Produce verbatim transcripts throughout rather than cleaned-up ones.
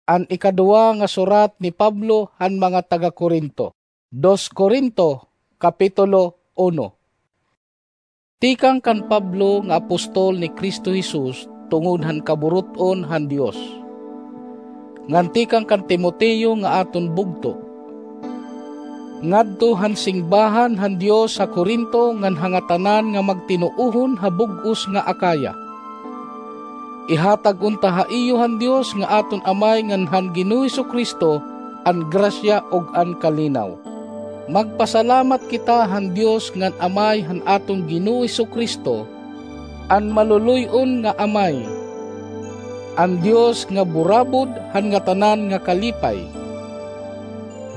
An ikaduha nga surat ni Pablo han mga taga-Corinto. Dos Corinto, Kapitulo uno. Tikang kan Pablo nga apostol ni Cristo Jesus tungod han kaburut-on han Dios, ngan tikang kan Timoteo nga aton bugto, ngadto han singbahan han Dios ha Corinto ngan ha ngatanan nga magtinuohon ha bug-os nga Acaya. Ihatag unta ha iyo han Dios nga aton Amay ngan han Ginoo Jesu-Cristo an grasya ug an kalinaw. Magpasalamat kita han Dios ngan Amay han aton Ginoo Jesu-Cristo, an maluloy-on nga Amay, an Dios nga burabod han ngatanan nga kalipay.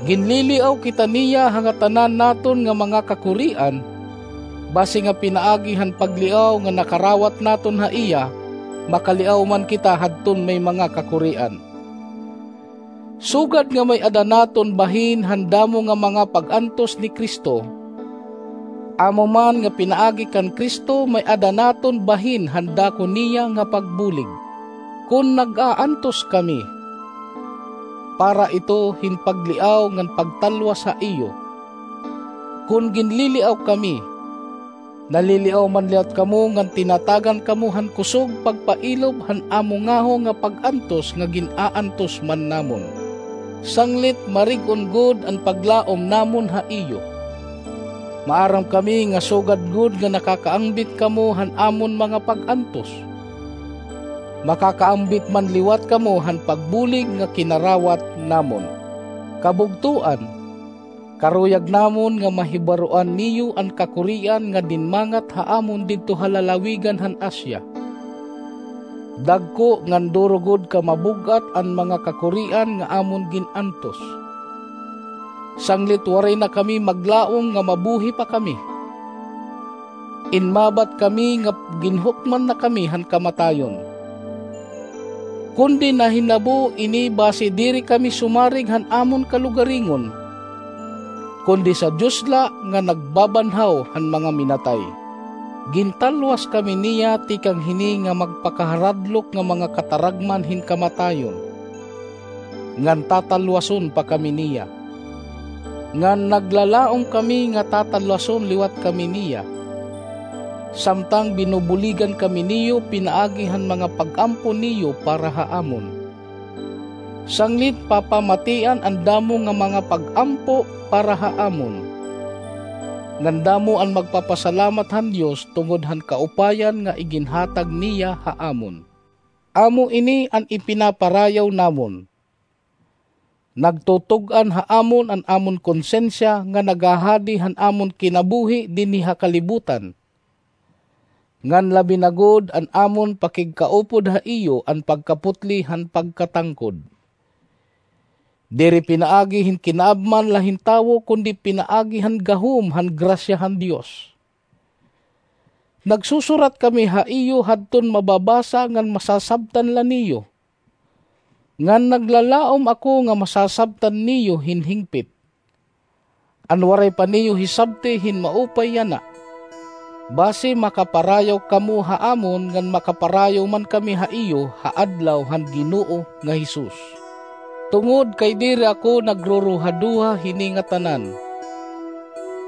Ginliliaw kita niya ha ngatanan naton nga mga kakurian, basi nga pinaagi han pagliaw nga nakarawat naton ha iya, makaliaw man kita hadton may mga kakurian. Sugad nga may-ada naton bahin han damo nga mga pag-antos ni Cristo, amo man nga pinaagi kan Cristo may-ada naton bahin han dako niya nga pagbulig. Kon nag-aantos kami, para ito hin pagliaw ngan pagtalwas ha iyo. Kon ginliliaw kami, naliliaw man liwat kamo ngan tinatagan kamo han kusog pagpailob han amo ngaho nga pag-antos nga gin-aantos man namon. Sanglit marig-on gud an paglaom namon ha iyo. Maaram kami nga sugad gud nga nakakaangbit kamo han amon mga pag-antos. Makakaangbit man liwat kamo han pagbulig nga kinarawat namon. Kabugtoan, karuyag namon nga mahibaroan niyo an kakurian nga dinmangat ha amon didto ha lalawigan han Asia. Dagko ngan duro gud ka mabug-at an mga kakurian nga amon gin-antos. Sanglit waray na kami maglaom nga mabuhi pa kami. Inmabat kami nga ginhukman na kami han kamatayon. Kundi nahinabo ini basi diri kami sumarig han amon kalugaringon, kundi sa Dios la nga nagbabanhaw han mga minatay. Gintalwas kami niya tikang hini nga magpakaharadlok nga mga kataragman hin kamatayon, ngan tatalwason pa kami niya. Ngan naglalaom kami nga tatalwason liwat kami niya, samtang binubuligan kami niyo pinaagi han mga pag-ampo niyo para ha amon. Sanglit papamatian an damo nga mga pag-ampo para ha amon, ngan damo an magpapasalamat han Dios tungod han kaupayan nga iginhatag niya ha amon. Amo ini an ipinaparayaw namon. Nagtutug-an ha amon an amon konsensya nga naghahadi han amon kinabuhi dinhi ha kalibutan, ngan labi na gud an amon pakigkaupod ha iyo an pagkaputli han pagkatangkod. Diri pinaagi hin kinaabman la hin tawo, kundi pinaagi han gahom han grasya han Dios. Nagsusurat kami ha iyo hadton mababasa ngan masasabtan la niyo, ngan naglalaom ako nga masasabtan niyo hin hingpit. An waray pa niyo hisabti hin maupay yana, basi makaparayaw kamo ha amon ngan makaparayaw man kami ha iyo ha adlaw han Ginoo nga Jesus. Tungod kay diri ako nagruruhaduha hini nga tanan,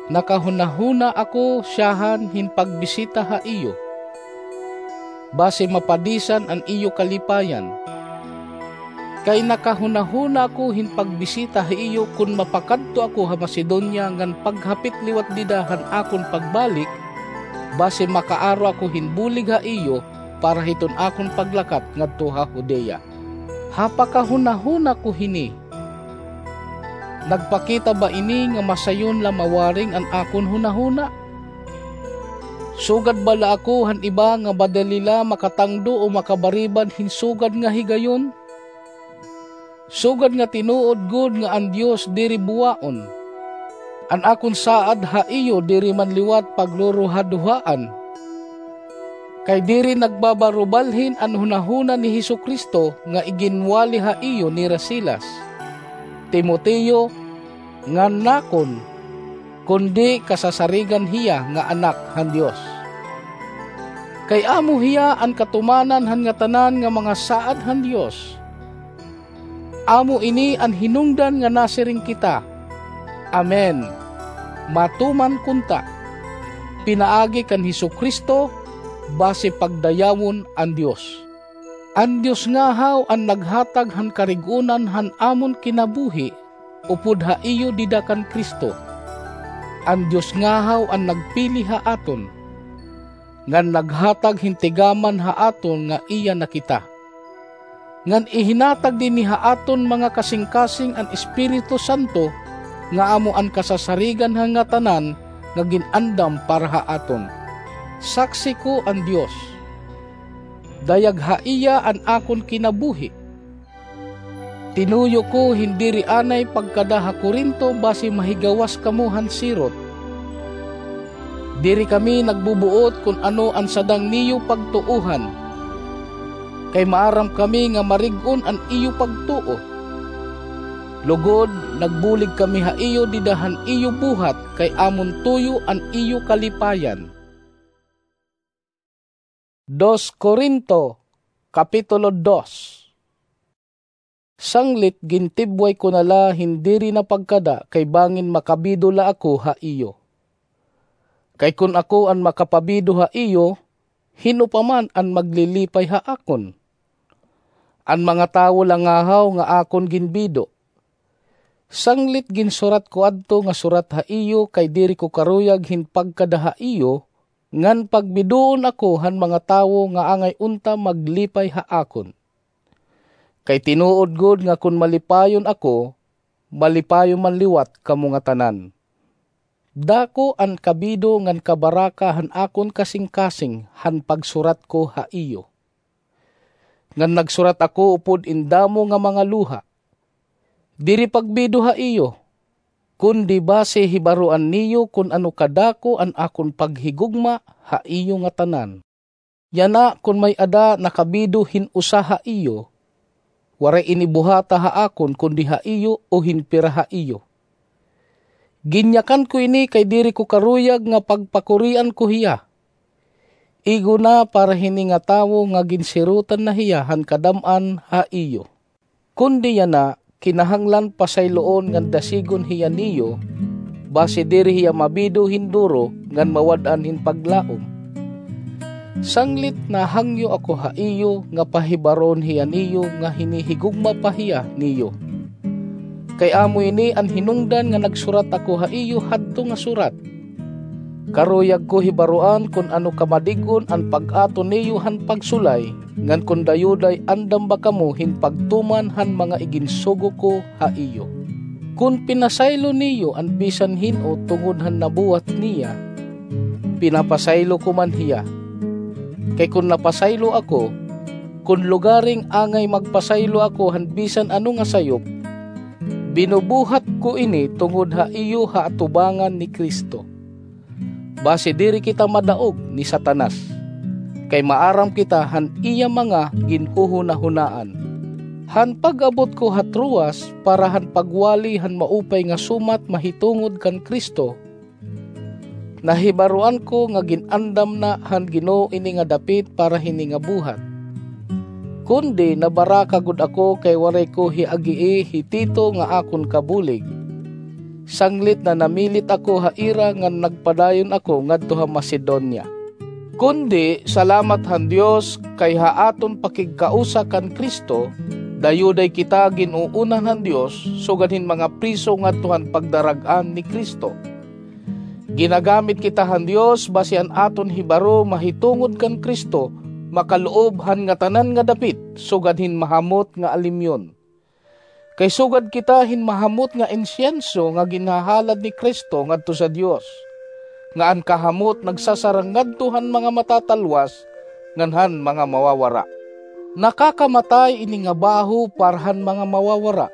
nakahunahuna ako siyahan hin pagbisita ha iyo, basi mapadisan an iyo kalipayan. Kay nakahunahuna ako hin pagbisita ha iyo kon mapakadto ako ha Macedonia ngan paghapit liwat dida han akon pagbalik, basi makaaro ako hin bulig ha iyo para hiton akon paglakat ngadto ha Judea. Ha pakahunahuna ko hini, nagpakita ba ini nga masayon la mawaring an akon hunahuna? Sugad bala ako han iba nga madali la makatangdo o makabaribad hin sugad nga higayon? Sugad nga tinuod gud nga an Dios diri buwaon, an akon saad ha iyo diri man liwat pagruruhaduhaan. Kay diri nagbabarubalhin an hunahuna ni Jesu-Cristo nga iginwali ha iyo nira Silas, Timoteo, ngan nakon, kundi kasasarigan hiya nga anak han Dios. Kay amo hiya an katumanan han ngatanan nga mga saad han Dios. Amo ini an hinungdan nga nasiring kita, "Amen, matuman kunta," pinaagi kan Jesu-Cristo, basi pagdayawon an Dios. An Dios ngahaw an naghatag han karig-onan han amon kinabuhi upod ha iyo dida kan Cristo. An Dios ngahaw an nagpili ha aton, ngan naghatag hin tigaman ha aton nga iya na kita. Ngan ihinatag dinhi ha aton mga kasingkasing an Espiritu Santo, nga amo an kasasarigan han ngatanan nga gin-andam para ha aton. Saksi ko an Dios. Dayag ha iya an akon kinabuhi. Tinuyo ko hin diri anay pagkada ha Corinto basi mahigawas kamo han sirot. Diri kami nagbubuot kon ano an sadang niyo pagtuohan, kay maaram kami nga marig-on an iyo pagtuo. Lugod, nagbulig kami ha iyo dida han iyo buhat, kay amon tuyo an iyo kalipayan. Dos Corinto, Kapitulo dos. Sanglit gintibway ko na la hin diri na pagkada kay bangin makabido la ako ha iyo. Kay kon ako an makapabido ha iyo, hin-o pa man an maglilipay ha akon? An mga tawo la ngahaw nga akon ginbido. Sanglit ginsurat ko adto nga surat ha iyo kay diri ko karuyag hin pagkada ha iyo, ngan pagbidoon ako han mga tawo nga angay unta maglipay ha akon. Kay tinuod gud nga kon malipayon ako, malipayon man liwat kamo ngatanan. Dako an kabido ngan kabaraka han akon kasingkasing han pagsurat ko ha iyo. Ngan nagsurat ako upod in damo nga mga luha. Diri pagbido ha iyo, kundi basi hibaroan niyo kon ano kadako an akon paghigugma ha iyo ngatanan. Yana kon may-ada nakabido hin usa ha iyo, waray ini buhata ha akon kundi ha iyo o hin pira ha iyo. Ginyakan ko ini kay diri ko karuyag nga pagpakurian ko hiya. Igo na para hini nga tawo nga ginsirotan na hiya han kadam-an ha iyo. Kundi yana, kinahanglan pasayloon ngan dasigon hiya niyo, basi diri hiya mabido hin duro ngan mawad-an hin paglaom. Sanglit nahangyo ako ha iyo nga pahibaroon hiya niyo nga hinihigugma pa hiya niyo. Kay amo ini an hinungdan nga nagsurat ako ha iyo hadto nga surat. Karuyag ko hibaroan kon ano kamadig-on an pag-ato niyo han pagsulay, ngan kon dayuday andam ba kamo hin pagtuman han mga iginsugo ko ha iyo. Kon pinasaylo niyo an bisan hin-o tungod han nabuhat niya, pinapasaylo ko man hiya. Kay kon napasaylo ako, kon lugaring angay magpasaylo ako han bisan ano nga sayop, binubuhat ko ini tungod ha iyo ha atubangan ni Cristo. Basi diri kita madaog ni Satanas, kay maaram kita han iya mga ginhuhunahunaan. Han pag-abot ko ha Troas para han pagwali han maupay nga sumat mahitungod kan Cristo, nahibaroan ko nga gin-andam na han Ginoo ini nga dapit para hini nga buhat. Kundi nabaraka gud ako kay waray ko hiagii hi Tito nga akon kabulig. Sanglit nanamilit ako ha ira ngan nagpadayon ako ngadto ha Macedonia. Kundi salamat han Dios kay ha aton pakigkausa kan Cristo, dayuday kita gin-uunan han Dios sugad hin mga priso ngadto han pagdarag-an ni Cristo. Ginagamit kita han Dios basi an aton hibaro mahitungod kan Cristo makaloob han ngatanan nga dapit sugad hin mahamot nga alimyon. Kay sugad kita hin mahamot nga insyenso nga ginhahalad ni Cristo ngadto sa Dios, nga an kahamot nagsasarang ngadto han mga matatalwas ngan han mga mawawara. Nakakamatay ini nga baho para han mga mawawara,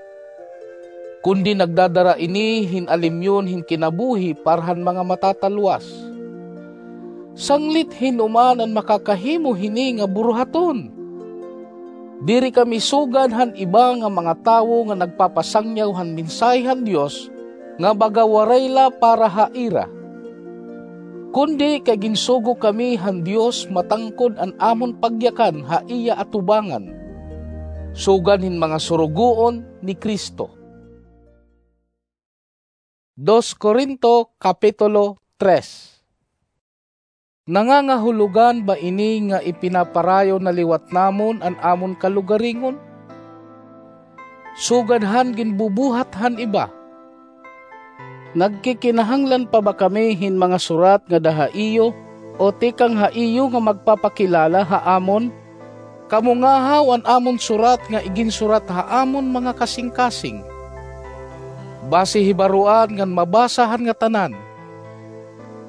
kundi nagdadara ini hin alimyon hin kinabuhi para han mga matatalwas. Sanglit hin-o man an makakahimo hini nga buruhaton? Diri kami sugad han iba nga mga tawo nga nagpapasangyaw han mensahe han Dios nga baga waray la para ha ira. Kundi kay ginsugo kami han Dios matangkod an amon pagyakan ha iya atubangan. sugad hin mga surugoon ni Cristo. Dos Corinto, Kapitulo tres. Nangangahulogan ba ini nga ipinaparayo na liwat namon an amon kalugaringon? Sugad han ginbubuhat han iba. Nagkikinahanglan pa ba kami hin mga surat ngada ha iyo, o tikang ha iyo nga magpapakilala ha amon? Kamo ngahaw an amon surat nga iginsurat ha amon mga kasingkasing. Basi hibaroan ngan mabasa han ngatanan.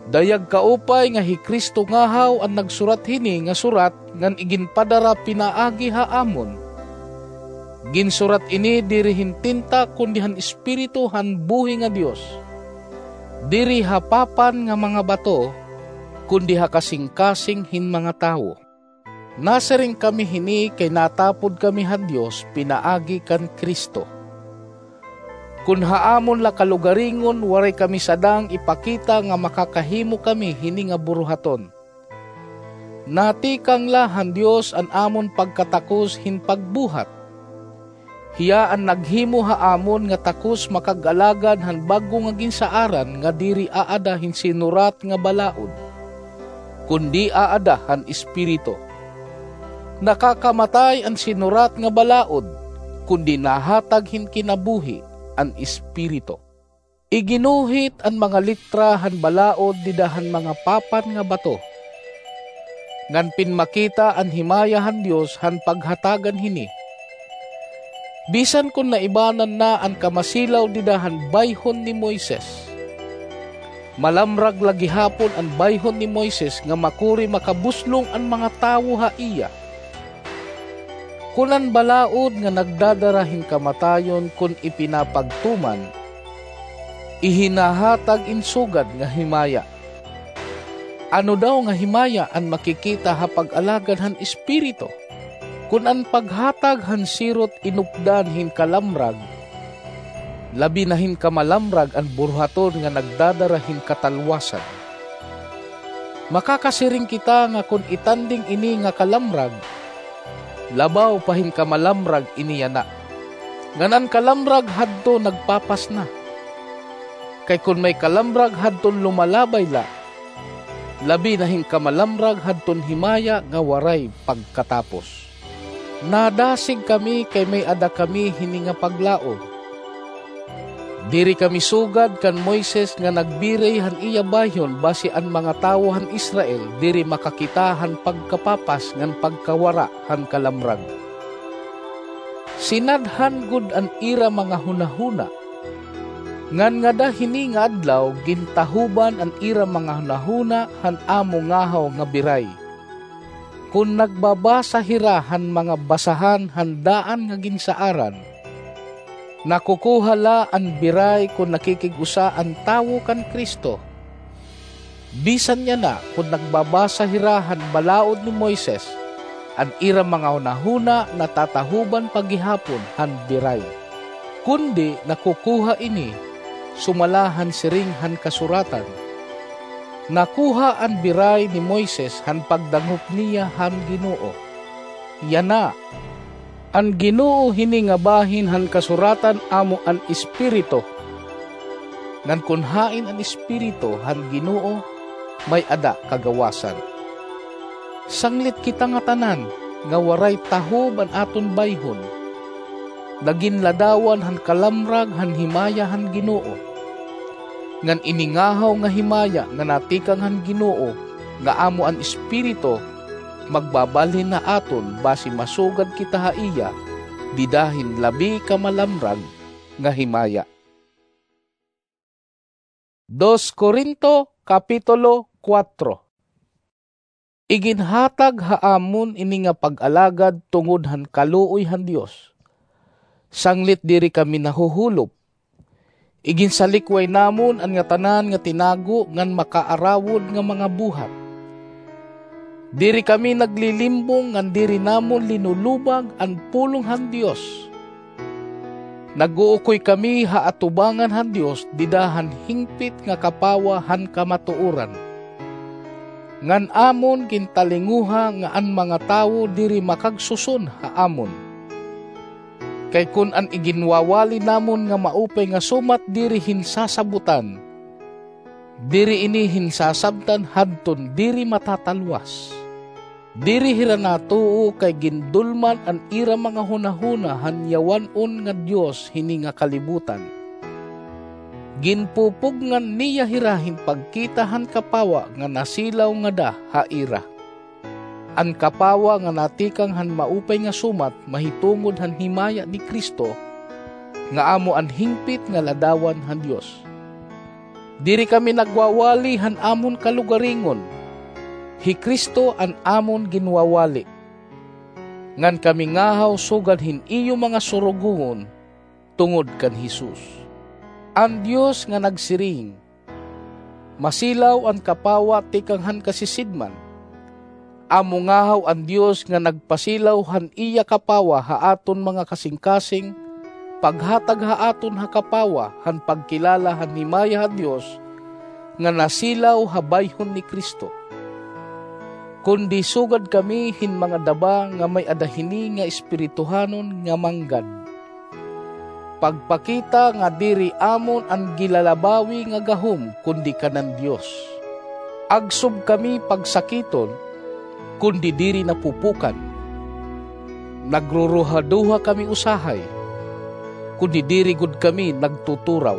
Dayag kaupay nga hi Cristo ngahaw an nagsurat hini nga surat ngan iginpadara pinaagi ha amon. Ginsurat ini diri hin tinta kundi han Espiritu han buhi nga Dios. Diri ha papan nga mga bato, kundi ha kasingkasing hin mga tawo. Nasiring kami hini kay natapod kami han Dios pinaagi kan Cristo. Kun ha amon la kalugaringon waray kami sadang ipakita nga makakahimo kami hini nga buruhaton. Natikang la han Dios an amon pagkatakos hin pagbuhat. Hiya an naghimo ha amon nga takos makag-alagad han bag-o nga ginsaaran nga diri aada hin sinurat nga balaod, kundi aada han Espiritu. Nakakamatay an sinurat nga balaod, kundi nahatag hin kinabuhi an Espiritu. Iginuhit an mga litra han balaod dida han mga papan nga bato, ngan pinmakita an himaya han Dios han paghatagan hini. Bisan kon naibanan na an kamasilaw dida han bayhon ni Moises, malamrag la gihapon an bayhon ni Moises nga makuri makabuslong an mga tawo ha iya. Kun an balaod nga nagdadara hin kamatayon kun ipinapagtuman, ihinahatag in sugad nga himaya. Ano daw nga himaya an makikita ha pag-alagad han Espiritu? Kun an paghatag han sirot inupdan hin kalamrag, labi na hin kamalamrag an buruhaton nga nagdadara hin katalwasan. Makakasiring kita nga kon itanding ini nga kalamrag, labaw pa hin kamalamrag ini yana. Ngan an kalamrag hadto nagpapas na. Kay kon may kalamrag hadton lumalabay la, labi na hin kamalamrag hadton himaya nga waray pagkatapos. Nadasig kami kay may-ada kami hini nga paglaom. Diri kami sugad kan Moises nga nagbiray han iya bayhon basi an mga tawo han Israel diri makakita han pagkapapas ngan pagkawara han kalamrag. Sinadhan gud an ira mga hunahuna. Ngan ngada hini nga adlaw gintahoban an ira mga hunahuna han amo ngahaw nga biray. Kon nagbabasa hira han mga basahan han daan nga ginsaaran, nakukuha la an biray kon nakikig-usa an tawo kan Cristo. Bisan yana kon nagbabasa hira han balaod ni Moises, an ira mga hunahuna natatahoban pa gihapon han biray. Kundi nakukuha ini sumala han siring han kasuratan, nakuha an biray ni Moises han pagdangop niya han Ginoo. Yana, an Ginoo hini nga bahin han kasuratan amo an Espiritu. Ngan kon hain an Espiritu han Ginoo, may-ada kagawasan. Sanglit kita ngatanan nga waray tahob an aton bayhon, naginladawan han kalamrag han himaya han Ginoo. Ngan ini ngahaw nga himaya nga natikang han Ginoo, nga amo an Espiritu, magbabalhin ha aton basi masugad kita ha iya dida hin labi ka malamrag nga himaya. Dos Corinto, Kapitulo kuwatro. Iginhatag ha amon ini nga pag-alagad tungod han kaluoy han Dios. Sanglit diri kami nahuhulop. Iginsalikway namon an ngatanan nga tinago ngan makaarawod nga mga buhat. Diri kami naglilimbong ngan diri namon linulubag an pulong han Dios. Nag-uukoy kami ha atubangan han Dios dida han hingpit nga kapawa han kamatuoran. Ngan amon gintalinguha nga an mga tawo diri makagsuson ha amon. Kay kon an iginwawali namon nga maupay nga sumat diri hin sasabotan, diri ini hin sasabtan hadton diri matatalwas. Diri hira natuo kay gindulman an ira mga hunahuna han yawan-on nga dios hini nga kalibutan. Ginpupugngan niya hira hin pagkita han kapawa nga nasilaw ngada ha ira. An kapawa nga natikang han maupay nga sumat mahitungod han himaya ni Cristo, nga amo an hingpit nga ladawan han Dios. Diri kami nagwawali han amon kalugaringon. Hi Cristo an amon ginwawali. Ngan kami ngahaw sugad hin iyo mga surugoon tungod kan Jesus. An Dios nga nagsiring, "Masilaw an kapawa tikang han kasisidman." Amo ngahaw an Dios nga nagpasilaw han iya kapawa ha aton mga kasingkasing, paghatag ha aton ha kapawa han pagkilala han himaya ha Dios nga nasilaw ha bayhon ni Cristo. Kundi sugad kami hin mga daba nga may-ada hini nga espirituhanon nga manggad. Pagpakita nga diri amon an gilalabawi nga gahom kundi kanan Dios. Agsob kami pagsakiton, kundi diri napupukan. Nagruruhaduha kami usahay, kundi diri gud kami nagtuturaw.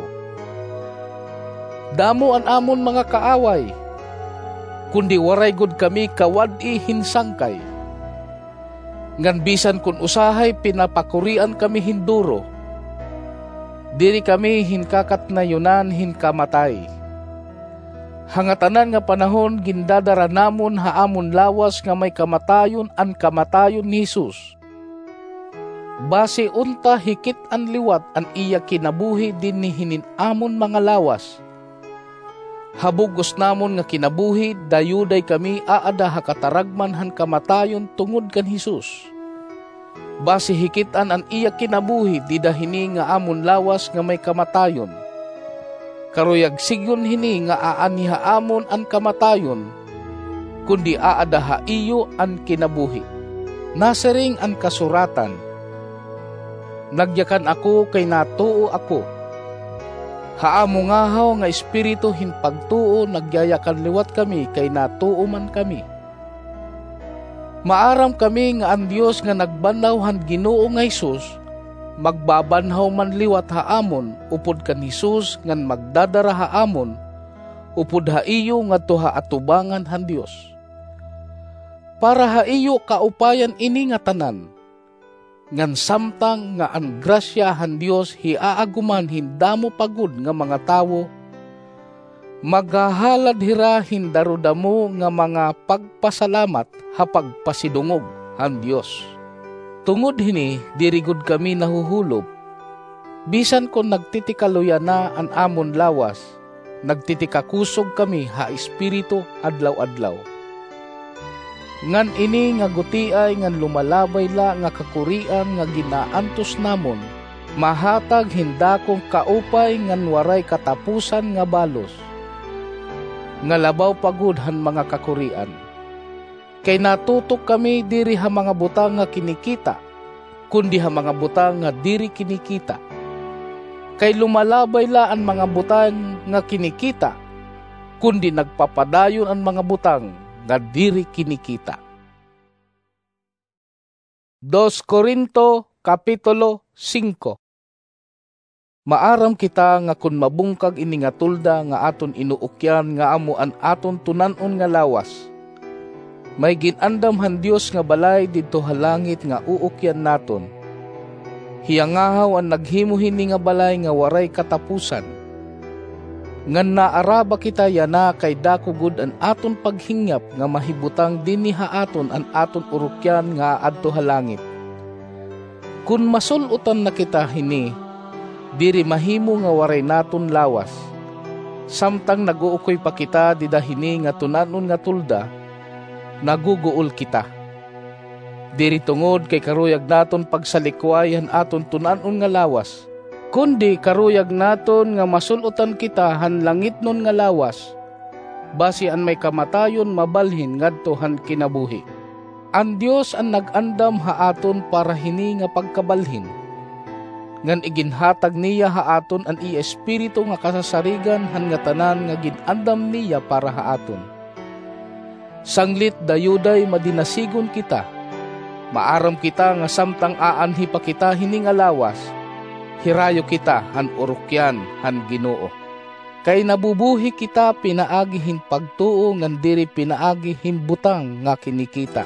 Damo an amon mga kaaway, kundi waray gud kami kawad-i hin sangkay. Ngan bisan kon usahay pinapakurian kami hin duro, diri kami hin kakatnayonan hin kamatay. Ha ngatanan nga panahon gindadara namon ha amon lawas nga may kamatayon an kamatayon ni Jesus. Basi unta hikit-an liwat an iya kinabuhi dinhi hinin amon mga lawas. Ha bug-os namon nga kinabuhi, dayuday kami aada ha kataragman han kamatayon tungod kan Jesus. Basi hikit-an an iya kinabuhi dida hini nga amon lawas nga may kamatayon. Karuyag sidngon hini nga aanhi ha amon an kamatayon, kundi aada ha iyo an kinabuhi. Nasiring an kasuratan, "Nagyakan ako kay natuo ako." Ha amo ngahaw nga espiritu hin pagtuo nagyayakan liwat kami kay natuo man kami. Maaram kami nga an Dios nga nagbanhaw han Ginoo nga Jesus, magbabanhaw man liwat ha amon upod kan Jesus ngan magdadara ha amon upod ha iyo ngadto ha atubangan han Dios. Para ha iyo kaupayan ini ngatanan, ngan samtang nga an grasya han Dios hiaaguman hin damo pa gud nga mga tawo, maghahalad hira hin darudamo nga mga pagpasalamat ha pagpasidungog han Dios. Tungod hini, diri gud kami nahuhulop, bisan kon nagtitikaluy yana an amon lawas, nagtitikakusog kami ha espiritu adlaw-adlaw. Ngan ini nga gutiay ngan lumalabay la nga kakurian nga ginaantos namon, mahatag hin dakong kaupay ngan waray katapusan nga balos, nga labaw pa gud han mga kakurian. Kay natutok kami diri ha mga butang nga kinikita, kundi ha mga butang nga diri kinikita. Kay lumalabay la an mga butang nga kinikita, kundi nagpapadayon an mga butang nga diri kinikita. Dos Corinto, Kapitulo singko. Maaram kita nga kon mabungkag ini nga tolda nga aton inuukyan nga amo an aton tunan-on nga lawas, may gin-andam han Dios nga balay didto ha langit nga uukyan naton. Hiya ngahaw an naghimo hini nga balay nga waray katapusan. Ngan naaraba kita yana kay dako gud an aton paghingyap nga mahibutang dinhi ha aton an aton urukyan nga aadto ha langit. Kon masul-otan na kita hini, diri mahimo nga waray naton lawas. Samtang nag-uukoy pa kita dida hini nga tunan-on nga tolda, naguguol kita. Diri tungod kay karuyag naton pagsalikway han aton tunan-on nga lawas, kundi karuyag naton nga masul-otan kita han langitnon nga lawas, basi an may kamatayon mabalhin ngadto han kinabuhi. An Dios an nag-andam ha aton para hini nga pagkabalhin, ngan iginhatag niya ha aton an iya Espiritu nga kasasarigan han ngatanan nga gin-andam niya para ha aton. Sanglit dayuday madinasigon kita, maaram kita nga samtang aanhi pa kita hini nga lawas, hirayo kita han urukyan han Ginoo. Kay nabubuhi kita pinaagi hin pagtuo ngan diri pinaagi hin butang nga kinikita.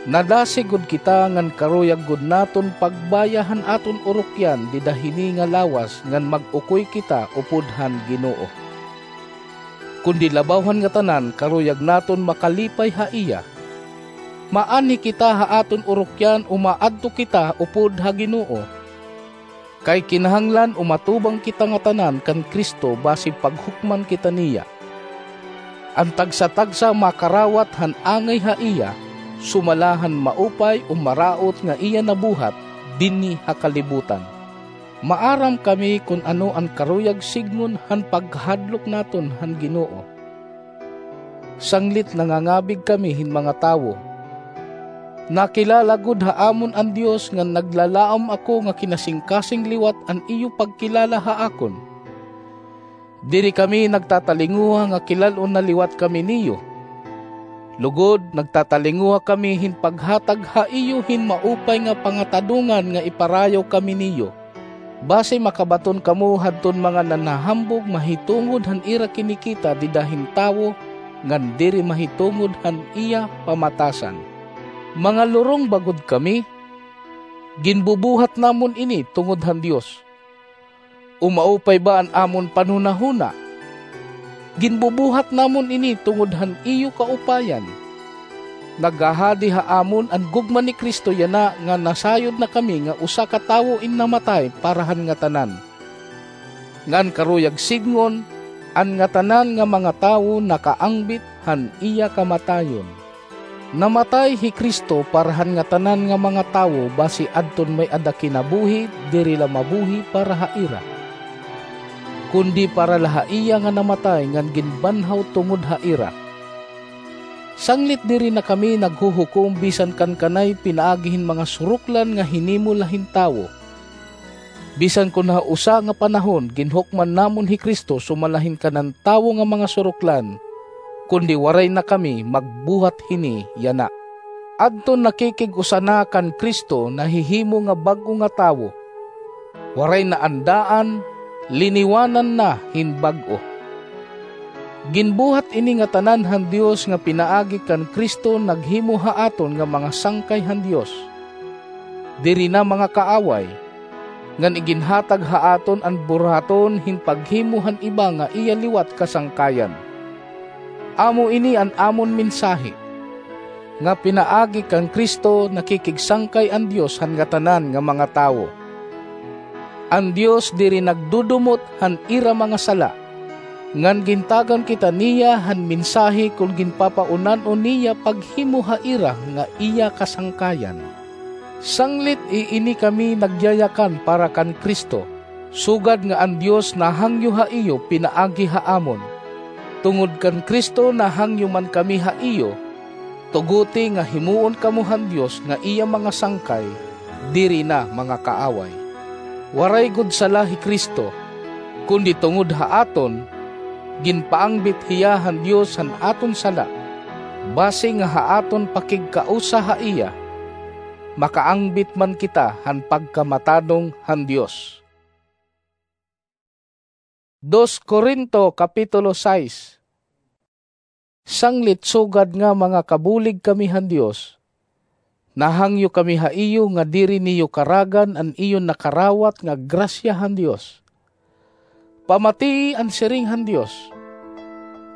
Nadasig gud kita ngan karuyag gud naton pagbaya han aton urukyan dida hini nga lawas ngan mag-ukoy kita upod han Ginoo. Kundi labaw han ngatanan karuyag naton makalipay ha iya. Maanhi kita ha aton urukyan o maadto kita upod ha Ginoo. Kay kinahanglan umatubang kita ngatanan kan Cristo basi paghukman kita niya. An tagsa-tagsa makarawat han angay ha iya, sumala han maupay o maraot nga iya nabuhat dinhi ha kalibutan. Maaram kami kon ano an karuyag sidngon han pagkahadlok naton han Ginoo. Sanglit nangangabig kami hin mga tawo. Nakilala gud ha amon an Dios ngan naglalaom ako nga kinasingkasing liwat an iyo pagkilala ha akon. Diri kami nagtatalinguha nga kilal-on na liwat kami niyo. Lugod, nagtatalinguha kami hin paghatag ha iyo hin maupay nga pangatadongan nga iparayaw kami niyo. Basi makabaton kamo hadton mga nanhahambog mahitungod han ira kinikita dida hin tawo, ngan diri mahitungod han iya pamatasan. Mga lurong ba gud kami? Ginbubuhat namon ini tungod han Dios. O maupay ba an amon panhunahuna? Ginbubuhat namon ini tungod han iyo kaupayan. Naghahadi ha amon an gugma ni Cristo yana nga nasayod na kami nga usa ka tawo in namatay para han ngatanan. Ngan karuyag sidngon, an ngatanan nga mga tawo nakaangbit han iya kamatayon. Namatay hi Cristo para han ngatanan nga mga tawo basi adton may-ada kinabuhi diri la mabuhi para ha ira, kundi para la ha iya nga namatay ngan ginbanhaw tungod ha ira. Sanglit diri na kami naghuhukom bisan kan kanay pinaagi hin mga suroklan nga hinimo la hin tawo. Bisan kon ha usa nga panahon ginhukman namon hi Cristo sumala hin kanan tawo nga mga suroklan, kundi waray na kami magbuhat hini yana. Adton nakikig-usa na kan Cristo nahihimo nga bag-o nga tawo. Waray na an daan, liniwanan na hin bag-o. Ginbuhat ini ngatanan han Dios nga pinaagi kan Cristo naghimo ha aton nga mga sangkay han Dios. Diri na mga kaaway, ngan iginhatag ha aton an buruhaton hin paghimo han iba nga iya liwat kasangkayan. Amo ini an amon mensahe, nga pinaagi kan Cristo nakikigsangkay an Dios han ngatanan nga mga tawo. An Dios diri nagdudumot han ira mga sala, ngan gintagan kita niya han mensahe kon ginpapaunan-on niya paghimo ha ira nga iya kasangkayan. Sanglit iini kami nagyayakan para kan Cristo, sugad nga an Dios nahangyo ha iyo pinaagi ha amon. Tungod kan Cristo nahangyo man kami ha iyo, tuguti nga himoon kamo han Dios nga iya mga sangkay, diri na mga kaaway. Waray gud sala hi Cristo, kundi tungod ha aton, ginpaangbit hiya han Dios han aton sala, basi nga ha aton pakigkausa ha iya, makaangbit man kita han pagkamatanong han Dios. Dos Corinto, Kapitulo sais. Sanglit sugad nga mga kabulig kami han Dios, nahangyo kami ha iyo nga diri niyo karagan an iyo nakarawat nga grasya han Dios. Pamatii an siring han Dios,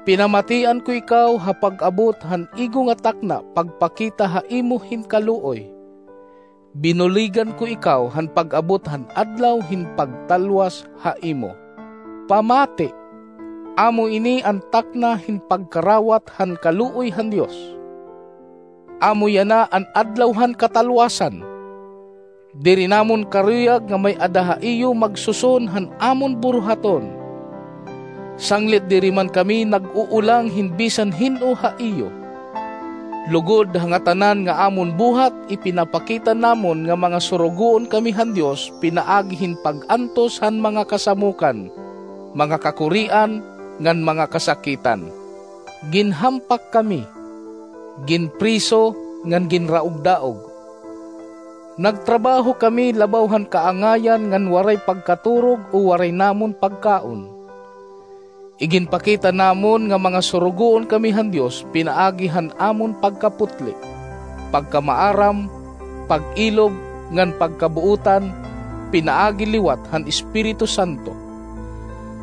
"Pinamatian ko ikaw ha pag-abot han igo nga takna pagpakita ha imo hin kaluoy. Binuligan ko ikaw han pag-abot han adlaw hin pagtalwas ha imo." Pamati, amo ini an takna hin pagkarawat han kaluoy han Dios. Amo yana an adlaw han katalwasan. Diri namon karuyag nga may-ada ha iyo magsuson han amon buruhaton. Sanglit diri man kami nag-uulang hin bisan hin-o ha iyo. Lugod ha ngatanan nga amon buhat, ipinapakita namon nga mga surugoon kami han Dios pinaagi hin pag-antos han mga kasamokan, mga kakurian, ngan mga kasakitan. Ginhampak kami, ginpriso, ngan ginraog-daog. Nagtrabaho kami labaw han kaangayan ngan waray pagkaturog o waray namon pagkaon. Iginpakita namon nga mga surugoon kami han Dios pinaagi han amon pagkaputli, pagkamaaram, pag-ilob, ngan pagkabuotan, pinaagi liwat han Espiritu Santo.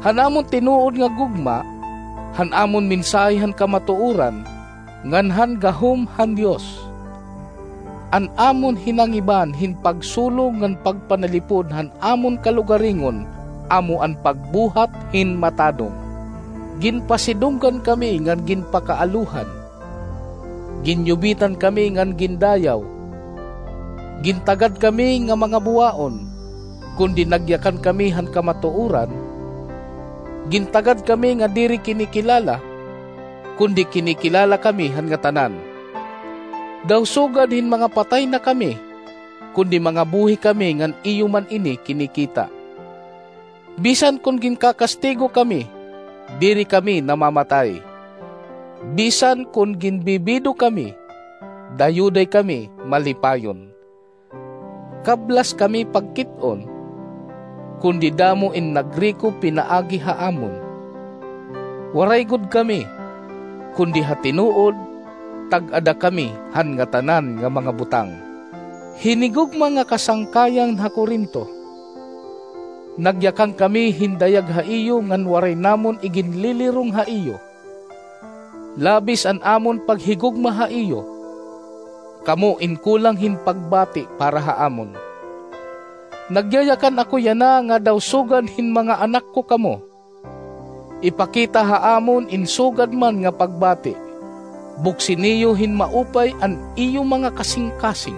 Han amon tinuod nga gugma, han amon mensahe han kamatuoran, ngan han gahom han Dios. An amon hinangiban hin pagsulong ngan pagpanalipod han amon kalugaringon amo an pagbuhat hin matadom. Ginpasidunggan kami ngan ginpakaalohan. Ginyubitan kami ngan gindayaw. Gintagad kami nga mga buwaon, kundi nagyakan kami han kamatuoran. Gintagad kami nga diri kinikilala, kundi kinikilala kami han ngatanan. Daw sugad hin mga patay na kami, kundi mga buhi kami ngan iyo man ini kinikita. Bisan kon ginkakastigo kami, diri kami namamatay. Bisan kon ginbibido kami, dayuday kami malipayon. Kablas kami pagkit-on, kundi damo in nagriko pinaagi ha amon. Waray gud kami, kundi ha tinuod, tag-ada kami han ngatanan nga mga butang. Hinigugma nga kasangkayan ha Corinto, nagyakan kami hin dayag ha iyo ngan waray namon iginlilirong ha iyo. Labis an amon paghigugma ha iyo. Kamo in kulang hin pagbati para ha amon. Nagyayakan ako yana nga daw sugad hin mga anak ko kamo. Ipakita ha amon in sugad man nga pagbati. Buksi niyo hin maupay an iyo mga kasingkasing.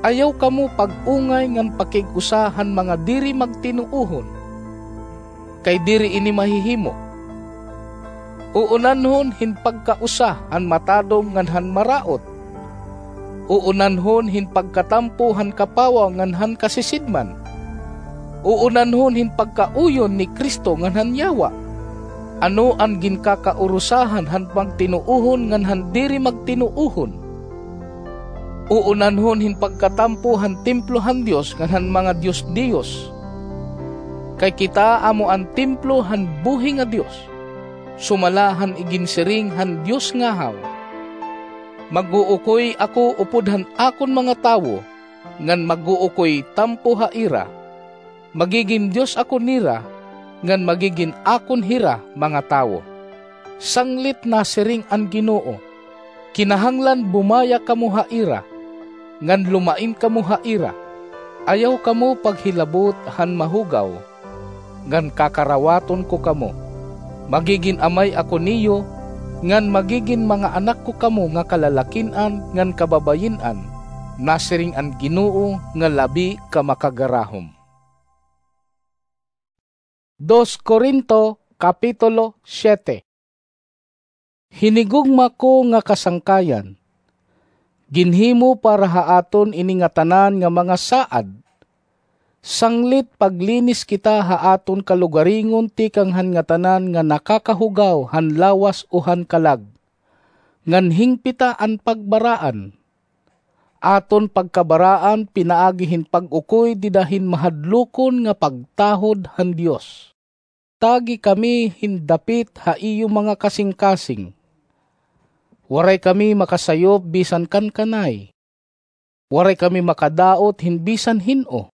Ayaw kamo pag-ungay ngan pakig-usa han mga diri magtinuohon, kay diri ini mahihimo. Uunanhon hin pagkausa han matadom ngan han maraot. Uunanhon hin pagkatampo han kapawa ngan han kasisidman. Uunanhon hin pagkauyon ni Cristo ngan han yawa. Ano an ginkakaurusahan han magtinuohon ngan han diri magtinuohon? Uunanhon hin pagkatampo han templo han Dios ngan han mga dios-dios. Kay kita amo an templo han buhi nga Dios, sumala han iginsiring han Dios ngahaw, "Mag-uukoy ako upod han akon mga tawo, ngan mag-uukoy tampo ha ira. Magigin Dios ako nira, ngan magigin akon hira mga tawo." Sanglit nasiring an Ginoo, "Kinahanglan bumaya kamo ha ira, ngan lumain kamo ha ira. Ayaw kamo paghilabot han mahugaw, ngan kakarawaton ko kamo. Magigin amay ako niyo, ngan magigin mga anak ko kamo nga kalalakin-an ngan kababayin-an," nasiring an Ginoo nga labi ka makagarahom. Dos Corinto, Kapitulo siete. Hinigugma ko nga kasangkayan, ginhimo para ha aton ini ngatanan nga mga saad, sanglit paglinis kita ha aton kalugaringon tikang han ngatanan nga nakakahugaw han lawas o han kalag, ngan hingpita an pagbaraan. Aton pagkabaraan pinaagi hin pag-ukoy dida hin mahadlokon nga pagtahod han Dios. Tagi kami hin dapit ha iyo mga kasingkasing. Waray kami makasayop bisan kan kanay. Waray kami makadaot hin bisan hin-o,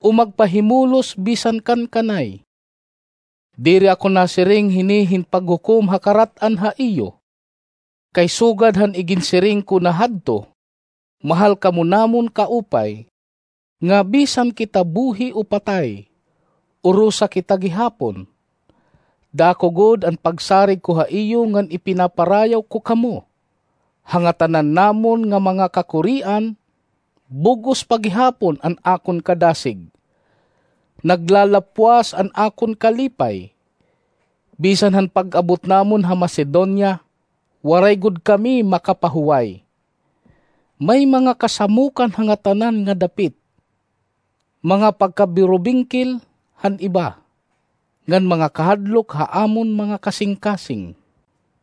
o magpahimulos bisan kan kanay. Diri ako nasiring hini hin paghukom ha karat-an ha iyo, kay sugad han iginsiring ko na hadto, mahal kamo namon kaupay, nga bisan kita buhi o patay, urosa kita gihapon. Dako gud an pagsarig ko ha iyo ngan ipinaparayaw ko kamo. Ha ngatanan namon nga mga kakurian, bug-os pa gihapon an akon kadasig. Naglalapwas an akon kalipay. Bisan han pag-abot namon ha Macedonia, waray gud kami makapahuway. May mga kasamokan ha ngatanan nga dapit, mga pagkabirubingkil han iba, ngan mga kahadlok ha amon mga kasingkasing.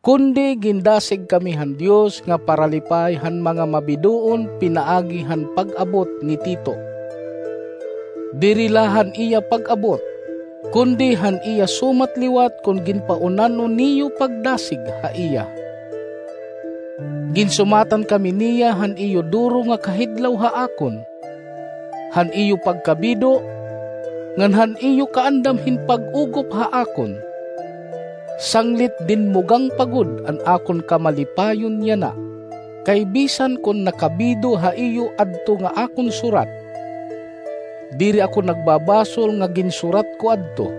Kundi gindasig kami han Dios nga paralipay han mga mabidoon pinaagi han pag-abot ni Tito. Diri la han iya pag-abot, kundi han iya sumat liwat kon ginpaunan-on niyo pagdasig ha iya. Ginsumatan kami niya han iyo duro nga kahidlaw ha akon, han iyo pagkabido, ngan han iyo kaandam hin pag-ugop ha akon. Sanglit dinmugang pa gud an akon kamalipayon yana, kay bisan kon nakabido ha iyo adto nga akon surat, diri ako nagbabasol nga ginsurat ko adto.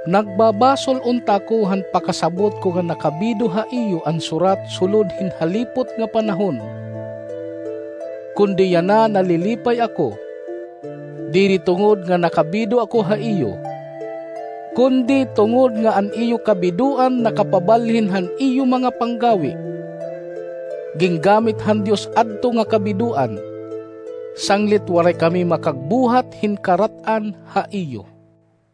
Nagbabasol unta ako han pakasabot ko nga nakabido ha iyo an surat sulod hin halipot nga panahon. Kundi yana nalilipay ako, diri tungod nga nakabido ako ha iyo, kundi tungod nga an iyo kabidoan nakapabalhin han iyo mga panggawi. Gingamit han Dios adto nga kabidoan, sanglit waray kami makagbuhat hin karat-an ha iyo.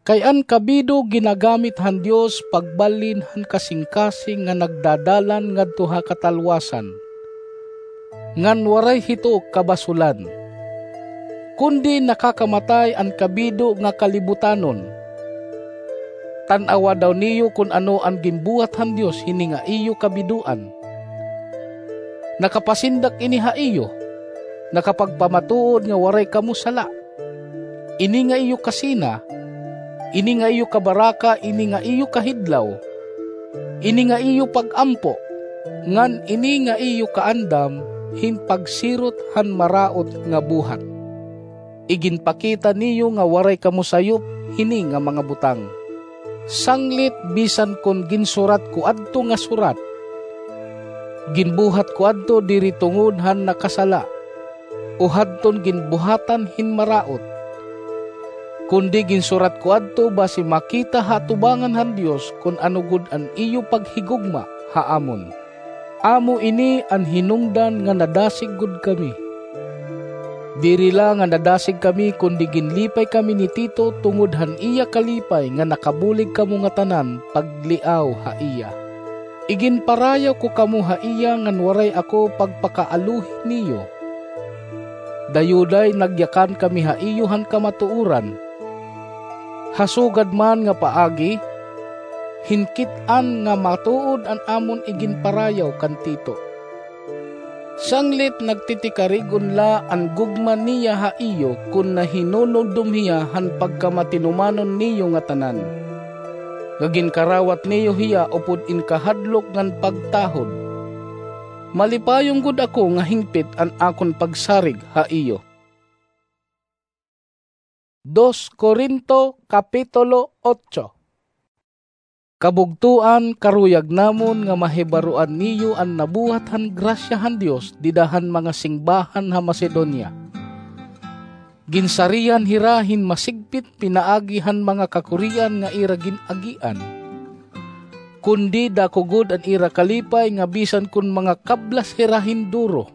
Kay an kabido ginagamit han Dios pagbalhin han kasingkasing nga nagdadalan ngadto ha katalwasan, ngan waray hito kabasulan. Kundi nakakamatay an kabido nga kalibutanon. Tan-awa daw niyo kon ano an ginbuhat han Dios hini nga iyo kabidoan. Nakapasindak ini ha iyo, nakapagpamatuod nga waray kamo sala. Ini nga iyo kasina, ini nga iyo kabaraka, ini nga iyo kahidlaw, ini nga iyo pag-ampo, ngan ini nga iyo kaandam hin pagsirot han maraot nga buhat. Iginpakita niyo nga waray kamo sayop hini nga mga butang. Sanglit bisan kon ginsurat ko adto nga surat, ginbuhat ko adto diri tungod han nakasala, o hadton ginbuhatan hin maraot. Kundi ginsurat ko adto basi makita ha atubangan han Dios kon ano gud an iyo paghigugma ha amon. Amo ini an hinungdan nga nadasig gud kami. Diri la nga nadasig kami, kundi ginlipay kami ni Tito tungod han iya kalipay nga nakabulig kamo ngatanan pagliaw ha iya. Iginparayaw ko kamo ha iya ngan waray ako pagpakaaluhi niyo. Dayuday nagyakan kami ha iyo han kamatuoran. Ha sugad man nga paagi, hinkit-an nga matuod an amon iginparayaw kan Tito. Sanglit nagtitikarig-on la an gugma niya ha iyo kon nahinunumdom hiya han pagkamatinumanon niyo ngatanan, nga ginkarawat niyo hiya upod in kahadlok ngan pagtahod. Malipayon gud ako nga hingpit an akon pagsarig ha iyo. Dos Corinto, Kapitulo otso. Kabugtoan, karuyag namon nga mahibaroan niyo an nabuhat han grasya han Dios dida han mga singbahan ha Macedonia. Ginsarihan hira hin masigpit pinaagi han mga kakurian nga ira gin-agian. Kundi dako gud an ira kalipay nga bisan kon mga kablas hira hin duro,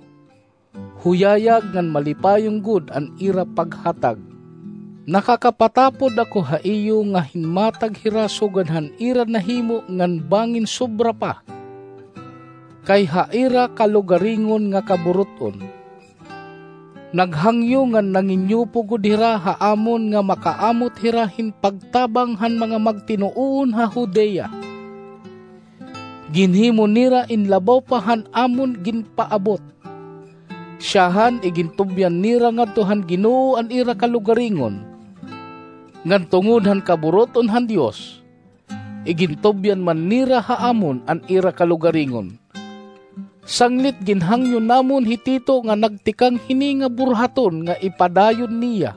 huyayag ngan malipayon gud an ira paghatag. Nakakapatapod ako ha iyo nga hinmatag hira sugad han ira nahimo ngan bangin sobra pa, kay ha ira kalugaringon nga kaburut-on. Naghangyo ngan nanginyupo gud hira ha amon nga makaamot hira hin pagtabang han mga magtinuohon ha Judea. Ginhimo nira in labaw pa han amon ginpaabot. Syahan, igintubyan nira ngadto han Ginoo an ira kalugaringon. Ngan tungod han kaburut-on han Dios, igintubyan man nira ha amon an ira kalugaringon. Sanglit ginhangyo namon hi Tito nga nagtikang hini nga burhaton nga ipadayon niya,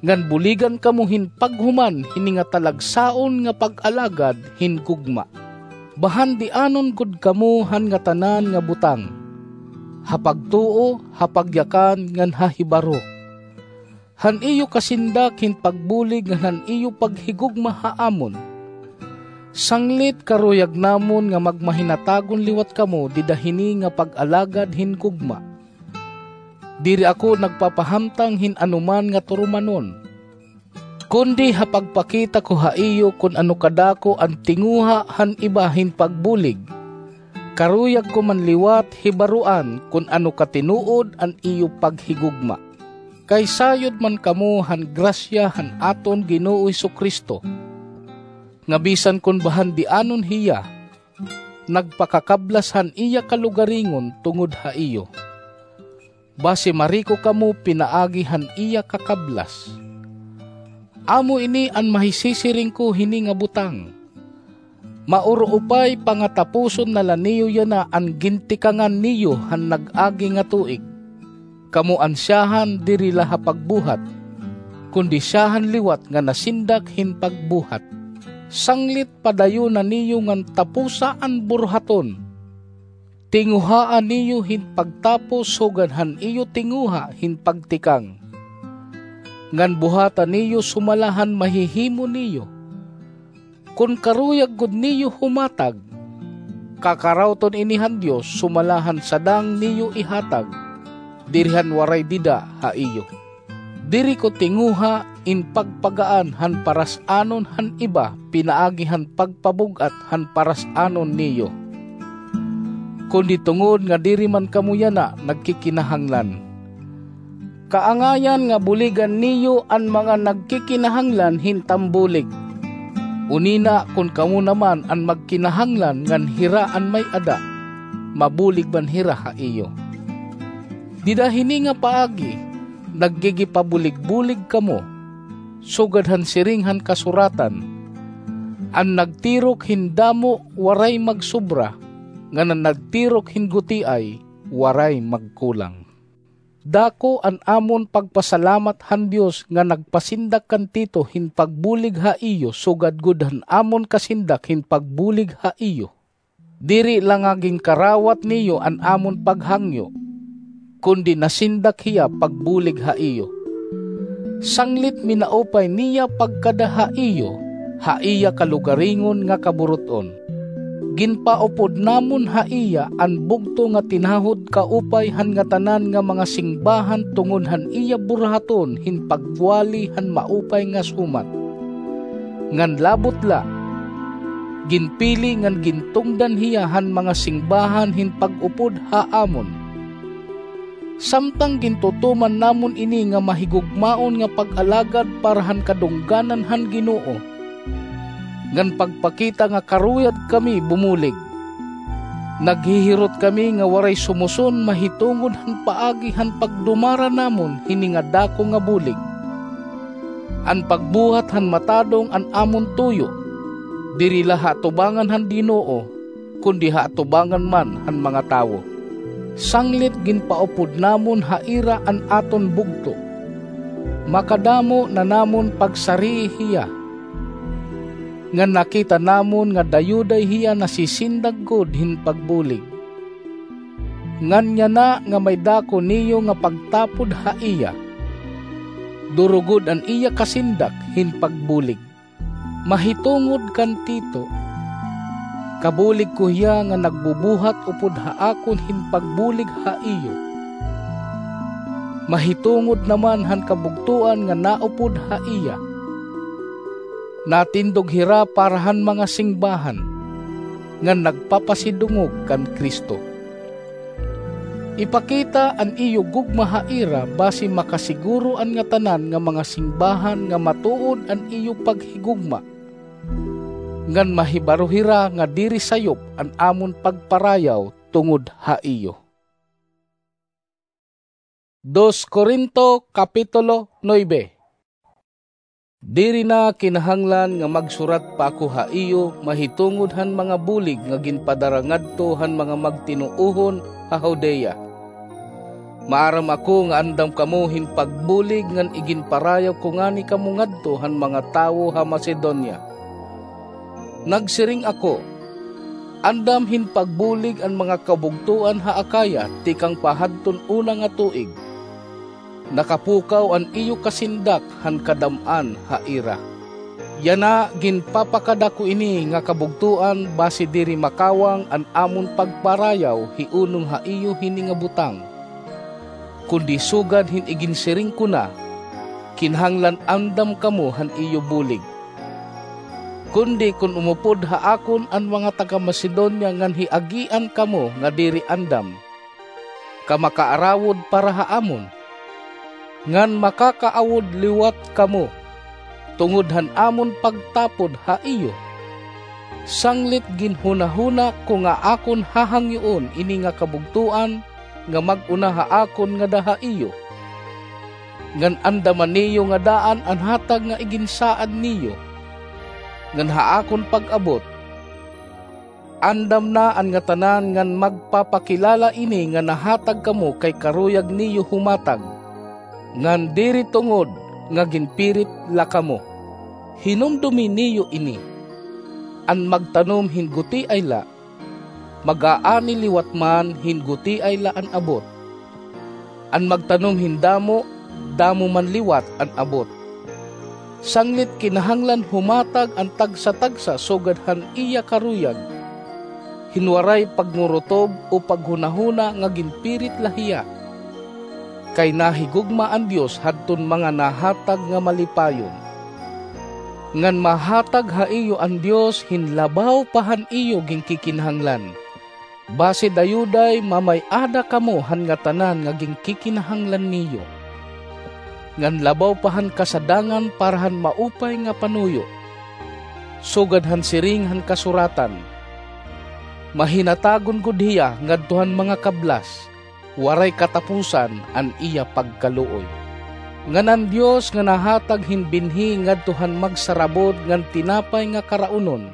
ngan buligan kamo hin paghuman hini nga talagsaon nga pag-alagad hin gugma. Bahandianon gud kamo han ngatanan nga butang, ha pagtuo, ha pagyakan, ngan ha hibaro. Han iyo kasindak hin pagbulig ngan han iyo paghigugma ha amon. Sanglit karuyag namon nga magmahinatagon liwat kamo dida hini nga pag-alagad hin gugma. Diri ako nagpapahamtang hin anoman nga turumanon, kundi ha pagpakita ko ha iyo kon ano kadako an tinguha han iba hin pagbulig, karuyag ko man liwat hibaroan kon ano katinuod an iyo paghigugma. Kay sayod man kamo han grasya han aton Ginoo Jesu-Cristo, nga bisan kon bahandianon hiya, nagpakakablas han iya kalugaringon tungod ha iyo. Basi mariko kamo pinaagi han iya kakablas. Amo ini an mahisisiring ko hini nga butang. Mauruupay pangatapuson na la niyo yana an gintikangan niyo han nag-agi nga tuig. Kamo an siyahan diri la ha pagbuhat, kundi siyahan liwat nga nasindak hin pagbuhat. Sanglit padayon na niyo ngan taposa an burhaton. Tinguhaa niyo hin pagtapos sugad han iyo tinguha hin pagtikang. Ngan buhata niyo sumala han mahihimo niyo. Kon karuyag gud niyo humatag, kakarawton ini han Dios sumala han sadang niyo ihatag, diri han waray dida ha iyo. Diri ko tinguha in pagpagaan han paras-anon han iba pinaagi han pagpabug-at han paras-anon niyo, kundi tungod nga diri man kamo yana nagkikinahanglan. Kaangayan nga buligan niyo an mga nagkikinahanglan hin tambulig. Unina kon kamo naman an magkinahanglan ngan hira an may-ada, mabulig man hira ha iyo. Dida hini nga paagi, naggigipabulig-bulig kamo, sugad han siring han kasuratan, "An nagtirok hin damo waray magsobra, ngan an nagtirok hin gutiay waray magkulang." Dako an amon pagpasalamat han Dios nga nagpasindak kan Tito hin pagbulig ha iyo sugad gud han amon kasindak hin pagbulig ha iyo. Diri la nga ginkarawat niyo an amon paghangyo, kundi nasindak hiya pagbulig ha iyo. Sanglit minaupay niya pagkada ha iyo, ha iya kalugaringon nga kaburut-on. Ginpaupod namon ha iya an bugto nga tinahod kaupay han ngatanan nga mga singbahan tungod han iya burhaton hin pagwali han maupay nga sumat. Ngan labot la, ginpili ngan gintungdan hiya han mga singbahan hin pag-upod ha amon. Samtang gintutuman namon ini nga mahigugmaon nga pag-alagad para han kadungganan han Ginoo, ngan pagpakita nga karuyag kami bumulig. Naghihirot kami nga waray sumuson mahitungod han paagi han pagdumara namon hini nga dako nga bulig. An pagbuhat han matadong an amon tuyo, diri la ha atubangan han Ginoo, kundi ha atubangan man han mga tawo. Sanglit ginpaupod namon ha ira an aton bugto. Makadamo na namon pagsarii hiya, ngan nakita namon nga dayuday hiya nasisindak gud hin pagbulig. Ngan yana nga may dako niyo nga pagtapod ha iya, duro gud an iya kasindak hin pagbulig. Mahitungod kan Tito, kabulig ko hiya nga nagbubuhat upod ha akon hin pagbulig ha iyo. Mahitungod naman han kabugtoan nga naupod ha iya, natindog hira para han mga singbahan, ngan nagpapasidungog kan Cristo. Ipakita an iyo gugma ha ira basi makasiguro an ngatanan nga mga singbahan nga matuod an iyo paghigugma, ngan mahibaro hira nga diri sayop an amon pagparayaw tungod ha iyo. Dos Corinto, Kapitulo nuebe. Diri na kinahanglan nga magsurat pa ako ha iyo mahitungod han mga bulig nga ginpadara ngadto han mga magtinuohon ha Judea. Maaram ako nga andam kamo hin pagbulig ngan iginparayaw ko ngani kamo ngadto han mga tawo ha Macedonia. Nagsiring ako, "Andam hin pagbulig an mga kabugtoan ha Acaya tikang pa hadton una nga tuig." Nakapukaw an iyo kasindak han kadam-an ha ira. Yana, ginpapakadako ini nga kabugtoan basi diri makawang an amon pagparayaw hi unong ha iyo hini nga butang, kundi sugad hin iginsiring ko na, kinahanglan andam kamo han iyo bulig. Kundi kon umupod ha akon an mga taga-Macedonia ngan hiagian kamo nga diri andam, kamakaarawod para ha amon, ngan makakaawod liwat kamo, tungod han amon pagtapod ha iyo. Sanglit ginhunahuna ko nga akon hahangyoon ini nga kabugtoan nga mag-una ha akon ngada ha iyo, ngan andaman niyo nga daan an hatag nga iginsaad niyo, ngan ha akon pag-abot, andam na an ngatanan ngan magpapakilala ini nga nahatag kamo kay karuyag niyo humatag, ngan diri tungod nga ginpirit la kamo. Hinumdomi niyo ini: an magtanom hin gutiay la, mag-aani liwat man hin gutiay la an abot. An magtanom hin damo, damo man liwat an abot. Sanglit kinahanglan humatag an tagsa-tagsa sugad han iya karuyag, hin waray pagnguruttob o paghunahuna nga ginpirit la hiya. Kay nahigugma an Dios hadton mga nahatag nga malipayon. Ngan mahatag ha iyo an Dios hin labaw pa han iyo ginkikinahanglan, basi dayuday mamay-ada kamo han ngatanan nga ginkikinahanglan niyo, ngan labaw pa han kasadangan para han maupay nga panuyo. Sugad han siring han kasuratan, "Mahinatagon gud hiya ngadto han mga kablas, waray katapusan an iya pagkaluoy." Ngan an Dios nga nahatag hin binhi ngadto han magsarabod ngan tinapay nga karaunon,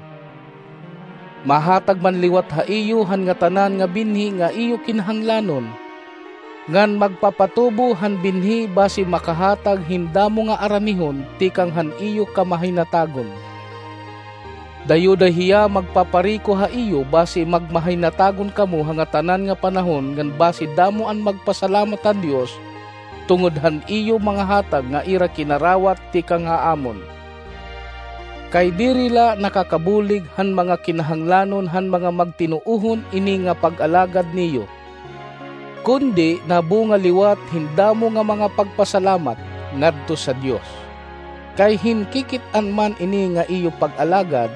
mahatag man liwat ha iyo han ngatanan nga binhi nga iyo kinahanglanon, ngan magpapatubo han binhi basi makahatag hin damo nga aranihon tikang han iyo kamahinatagon. Dayuday hiya magpapariko ha iyo basi magmahinatagon kamo ha ngatanan nga panahon ngan basi damo an magpasalamat han Dios tungod han iyo mga hatag nga ira kinarawat tikang ha amon. Kay diri la nakakabulig han mga kinahanglanon han mga magtinuohon ini nga pag-alagad niyo, kundi nabunga liwat hin damo nga mga pagpasalamat ngadto sa Dios. Kay hin kikit-an man ini nga iyo pag-alagad,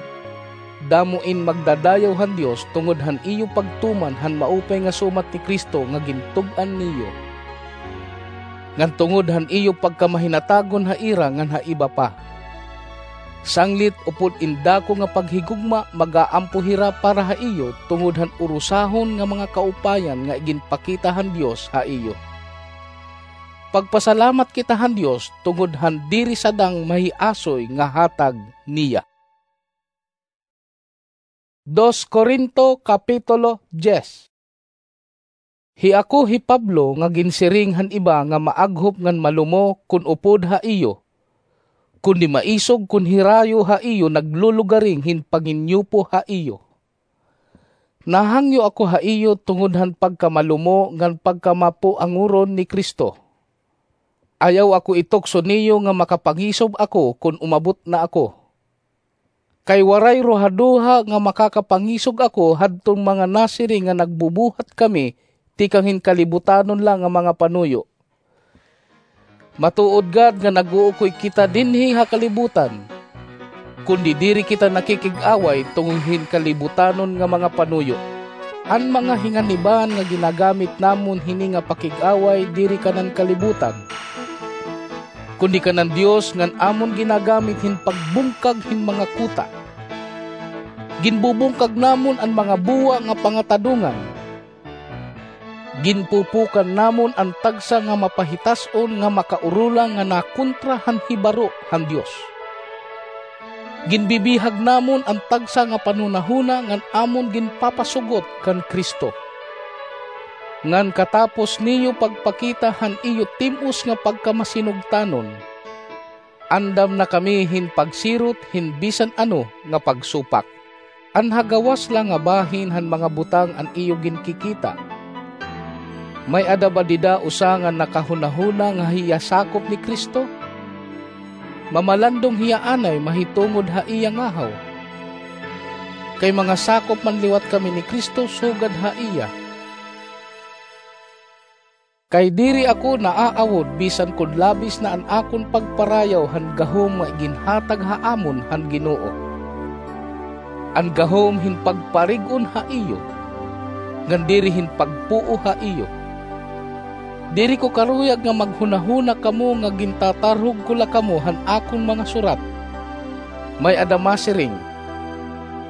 damo in magdadayaw han Dios tungod han iyo pagtuman han maupay nga sumat ni Cristo nga gintug-an niyo, ngan tungod han iyo pagkamahinatagon ha ira ngan ha iba pa. Sanglit upod in dako nga paghigugma, mag-aampo hira para ha iyo tungod han urusahon nga mga kaupayan nga iginpakita han Dios ha iyo. Pagpasalamat kita han Dios tungod han diri sadang mahiasoy nga hatag niya. Dos Corinto, Kapitulo diyes. Hi ako hi Pablo nga ginsiring han iba nga maaghop ngan malumo kon upod ha iyo, kundi maisog kon hirayo ha iyo naglulugaring hin panginyupo ha iyo. Nahangyo ako ha iyo tungod han pagkamalumo ngan pagkamapuangoron ni Cristo. Ayaw ako itukso niyo nga makapangisob ako kon umabot na ako. Kay waray ruhaduha nga makakapangisog ako hadton mga nasiring nga nagbubuhat kami tikang hin kalibutanon la nga mga panuyo. Matuod gad nga nag-uukoy kita dinhi ha kalibutan, kundi diri kita nakikig-away tungod hin kalibutanon nga mga panuyo. An mga hinganiban nga ginagamit namon hini nga pakig-away diri kanan kalibutan, kundi kanan Dios ngan amon ginagamit hin pagbungkag hin mga kuta. Ginbubungkag namon an mga buwa nga pangatadongan. Ginpupukan namon an tagsa nga mapahitas-on nga makaurola nga nakontra han hibaro han Dios. Ginbibihag namon an tagsa nga panhunahuna ngan amon ginpapasugot kan Cristo. Ngan katapos niyo pagpakita han iyo tim-os nga pagkamasinugtanon, andam na kami hin pagsirot hin bisan ano nga pagsupak. An ha gawas la nga bahin han mga butang an iyo ginkikita, may-ada ba dida usa nga nakahunahuna nga hiya sakop ni Cristo? Mamalandong hiya anay mahitungod ha iya ngahaw. Kay mga sakop man liwat kami ni Cristo sugad ha iya. Kay diri ako naaawod bisan kon labis na an akon pagparayaw han gahom nga iginhatag ha amon han Ginoo. An gahom hin pagparig-on ha iyo, ngan diri hin pagpuo ha iyo. Diri ko karuyag nga maghunahuna kamo nga gintatarhog ko la kamo han akon mga surat. May-ada masiring,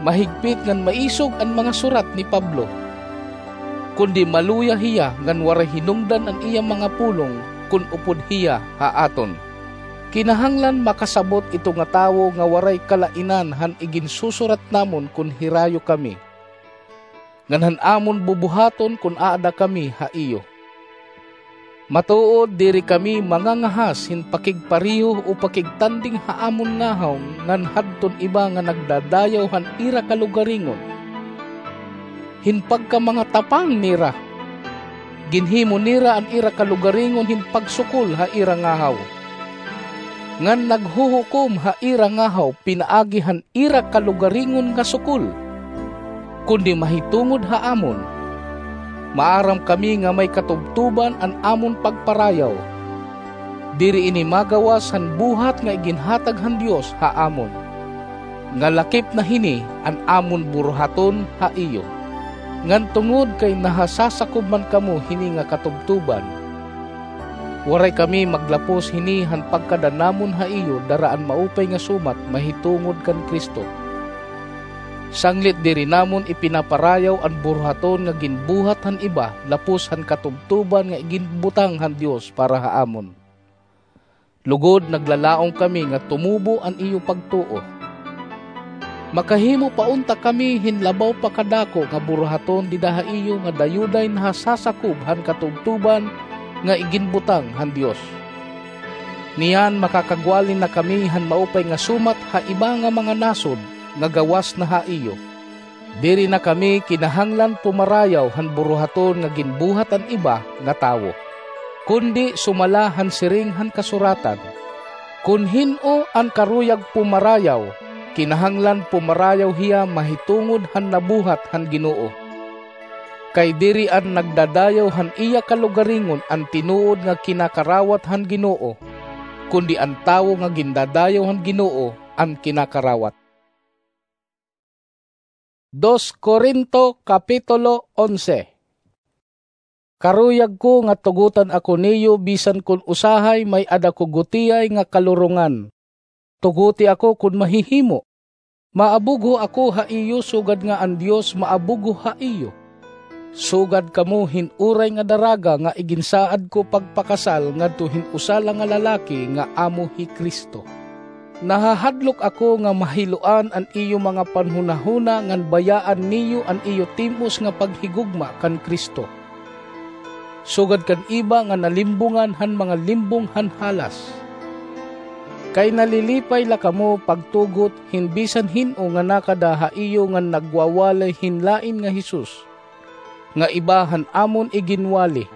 "Mahigpit ngan maisog an mga surat ni Pablo." Kundi maluya hiya ngan waray hinungdan an iya mga pulong kon upod hiya ha aton. Kinahanglan makasabot ito nga tawo nga waray kalainan han iginsusurat namon kon hirayo kami, ngan han amon bubuhaton kon aada kami ha iyo. Matuod, diri kami mangangahas hin pakigpareho o pakigtanding ha amon ngahaw ngan hadton iba nga nagdadayaw han ira kalugaringon. Hin pagkamangatapang nira, ginhimo nira an ira kalugaringon hin pagsukol ha ira ngahaw, ngan naghuhukom ha ira ngahaw pinaagi han ira kalugaringon nga sukol. Kundi mahitungod ha amon, maaram kami nga may katubtoban an amon pagparayaw. Diri ini magawas han buhat nga iginhatag han Dios ha amon, nga lakip na hini an amon buruhaton ha iyo. Ngan tungod kay nahasasakob man kamo hini nga katubtoban, waray kami maglapos hini han pagkada namon ha iyo dara an maupay nga sumat mahitungod kan Cristo. Sanglit diri namon ipinaparayaw an buruhaton nga ginbuhat han iba lapos han katubtoban nga iginbutang han Dios para ha amon. Lugod, naglalaom kami nga tumubo an iyo pagtuo. Makahimo pa unta kami hin labaw pa kadako nga buruhaton dida ha iyo nga dayoday nahasasakob han katubtoban nga iginbutang han Dios. Niyan makakagwali na kami han maupay nga sumat ha iba nga mga nasod nga gawas na ha iyo. Diri na kami kinahanglan pumarayaw han buruhaton nga ginbuhat han iba nga tawo, kundi sumala han siring han Kasuratan, "Kon hin-o an karuyag pumarayaw, kinahanglan pumarayaw hiya mahitungod han nabuhat han Ginoo." Kay diri an nagdadayaw han iya kalugaringon an tinuod nga kinakarawat han Ginoo, kundi an tawo nga gindadayaw han Ginoo an kinakarawat. Dos Corinto, Kapitulo onse. Karuyag ko nga tugotan ako niyo bisan kon usahay may-ada ko gutiay nga kalurongan. Tugoti ako kon mahihimo. Maabugho ako ha iyo sugad nga an Dios maabugho ha iyo. Sugad kamo hin uray nga daraga nga iginsaad ko pagpakasal ngadto hin usa la nga lalaki nga amo hi Cristo. Nahahadlok ako nga mahiloan an iyo mga panhunahuna ngan bayaan niyo an iyo tim-os nga paghigugma kan Cristo, sugad kan iba nga nalimbongan han mga limbong han halas. Kay nalilipay la kamo pagtugot hin bisan hin-o nga nakada ha iyo ngan nagwawali hin lain nga Jesus, nga iba han amon iginwali,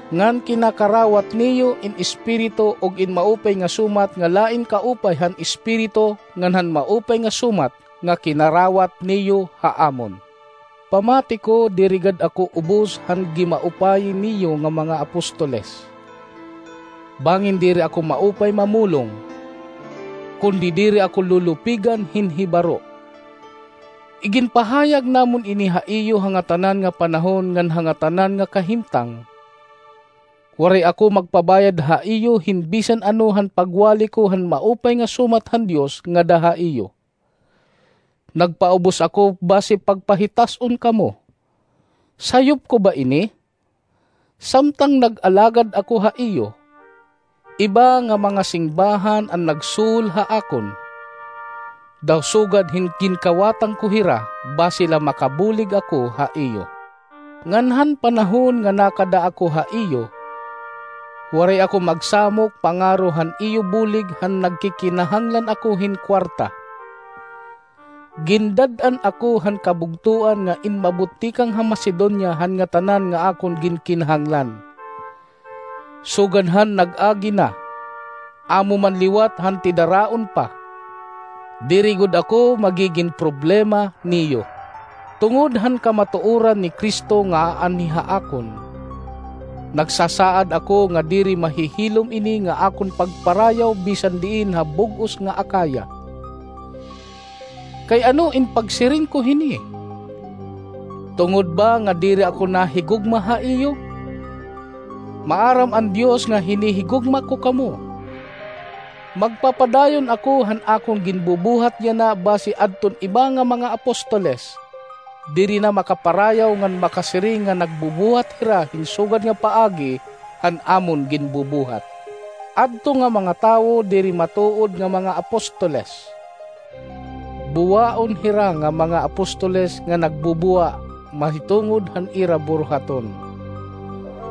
ngan kinakarawat niyo in espiritu ug in maupay nga sumat nga lain kaupay han espiritu ngan han maupay nga sumat nga kinarawat niyo ha amon. Pamati ko, diri gad ako ubos han gimaupay niyo nga mga apostoles. Bangin diri ako maupay mamulong, kundi diri ako lulupigan hin hibaro. Iginpahayag namon ini ha iyo ha ngatanan nga panahon ngan ha ngatanan nga kahimtang. Waray ako magpabayad ha iyo hin bisan ano han pagwali ko han maupay nga sumat han Dios ngada ha iyo. Nagpaubos ako basi pagpahitas-on kamo. Sayop ko ba ini? Samtang nag-alagad ako ha iyo, iba nga mga singbahan an nagsuhol ha akon. Daw sugad hin ginkawatan ko hira basi la makabulig ako ha iyo. Ngan han panahon nga nakada ako ha iyo, waray ako magsamok pangaro han iyo bulig han nagkikinahanglan ako hin kwarta. Gindad-an ako han kabugtoan nga inmabot tikang ha Macedonia han ngatanan nga akon ginkinahanglan. Sugad han nag-agi na, amo man liwat han tidaraon pa, diri gud ako magigin problema niyo. Tungod han kamatuoran ni Cristo nga aanhi ha akon, nagsasaad ako nga diri mahihilom ini nga akon pagparayaw bisan diin ha bug-os nga Acaya. Kay ano in pagsiring ko hini? Tungod ba nga diri ako nahigugma ha iyo? Maaram an Dios nga hinihigugma ko kamo. Magpapadayon ako han akon ginbubuhat yana basi adton iba nga mga apostoles, diri na makaparayaw ngan makasiring nga nagbubuhat hira hin sugad nga paagi han amon ginbubuhat. Adto nga mga tawo diri matuod nga mga apostoles. Buwaon hira nga mga apostoles nga nagbubuwa mahitungod han ira buruhaton.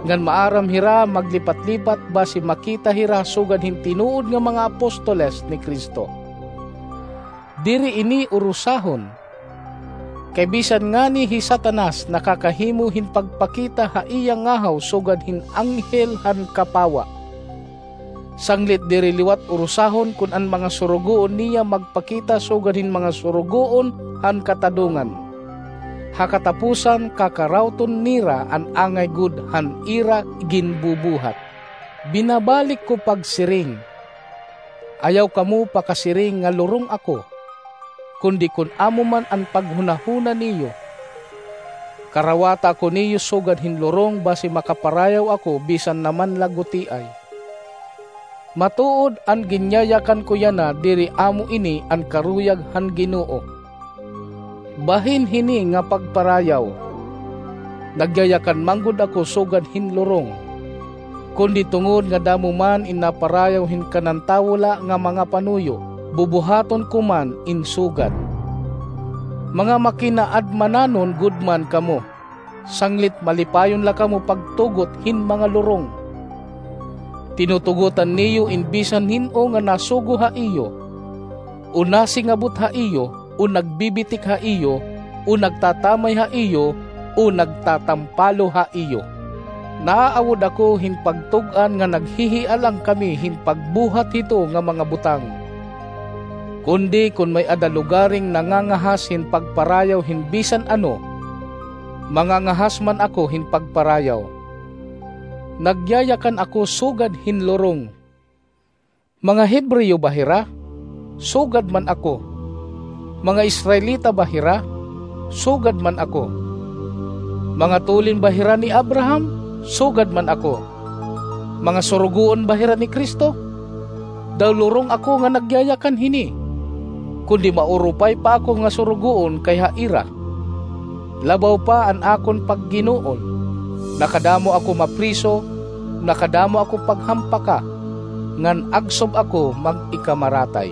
Ngan maaram hira maglipat-lipat basi makita hira sugad hin tinuod nga mga apostoles ni Cristo. Diri ini urusahon. Kay bisan ngani hi Satanas nakakahimo hin pagpakita ha iya ngahaw sugad hin anghel han kapawa. Sanglit diri liwat urusahon kon an mga surugoon niya magpakita sugad hin mga surugoon han katadongan. Ha katapusan, kakarawton nira an angay gud han ira ginbubuhat. Binabalik ko pagsiring, ayaw kamo pakasiring nga lurong ako, kundi kon amo man an paghunahuna niyo, karawata ako niyo sugad hin lurong basi makaparayaw ako bisan naman la gutiay. Matuod an ginyayakan ko yana diri amo ini an karuyag han Ginoo. Bahin hini nga pagparayaw, nagyayakan man gud ako sugad hin lurong, kundi tungod nga damo man in naparayaw hin kanan tawo la nga mga panuyo, bubuhaton ko man in sugad. Mga makinaadmananon gud man kamo, sanglit malipayon la kamo pagtugot hin mga lurong. Tinutugotan niyo in bisan hin-o nga nasugo ha iyo, o nasingabot ha iyo, o nagbibitik ha iyo, o nagtatamay ha iyo, o nagtatampalo ha iyo. Naaawod ako hin pagtug-an nga naghihialang kami hin pagbuhat hito nga mga butang. Kundi kon may-ada lugaring nangangahas hin pagparayaw hin bisan ano, mangangahas man ako hin pagparayaw. Nagyayakan ako sugad hin lurong. Mga Hebreo ba hira? Sugad man ako. Mga Israelita ba hira? Sugad man ako. Mga tulin ba hira ni Abraham? Sugad man ako. Mga surugoon ba hira ni Cristo? Daw lurong ako nga nagyayakan hini, kundi maurupay pa ako nga surugoon kayha ira. Labaw pa an akon pagginuon. Nakadamo ako mapriso, nakadamo ako paghampaka, ngan agsob ako mag-ikamaratay.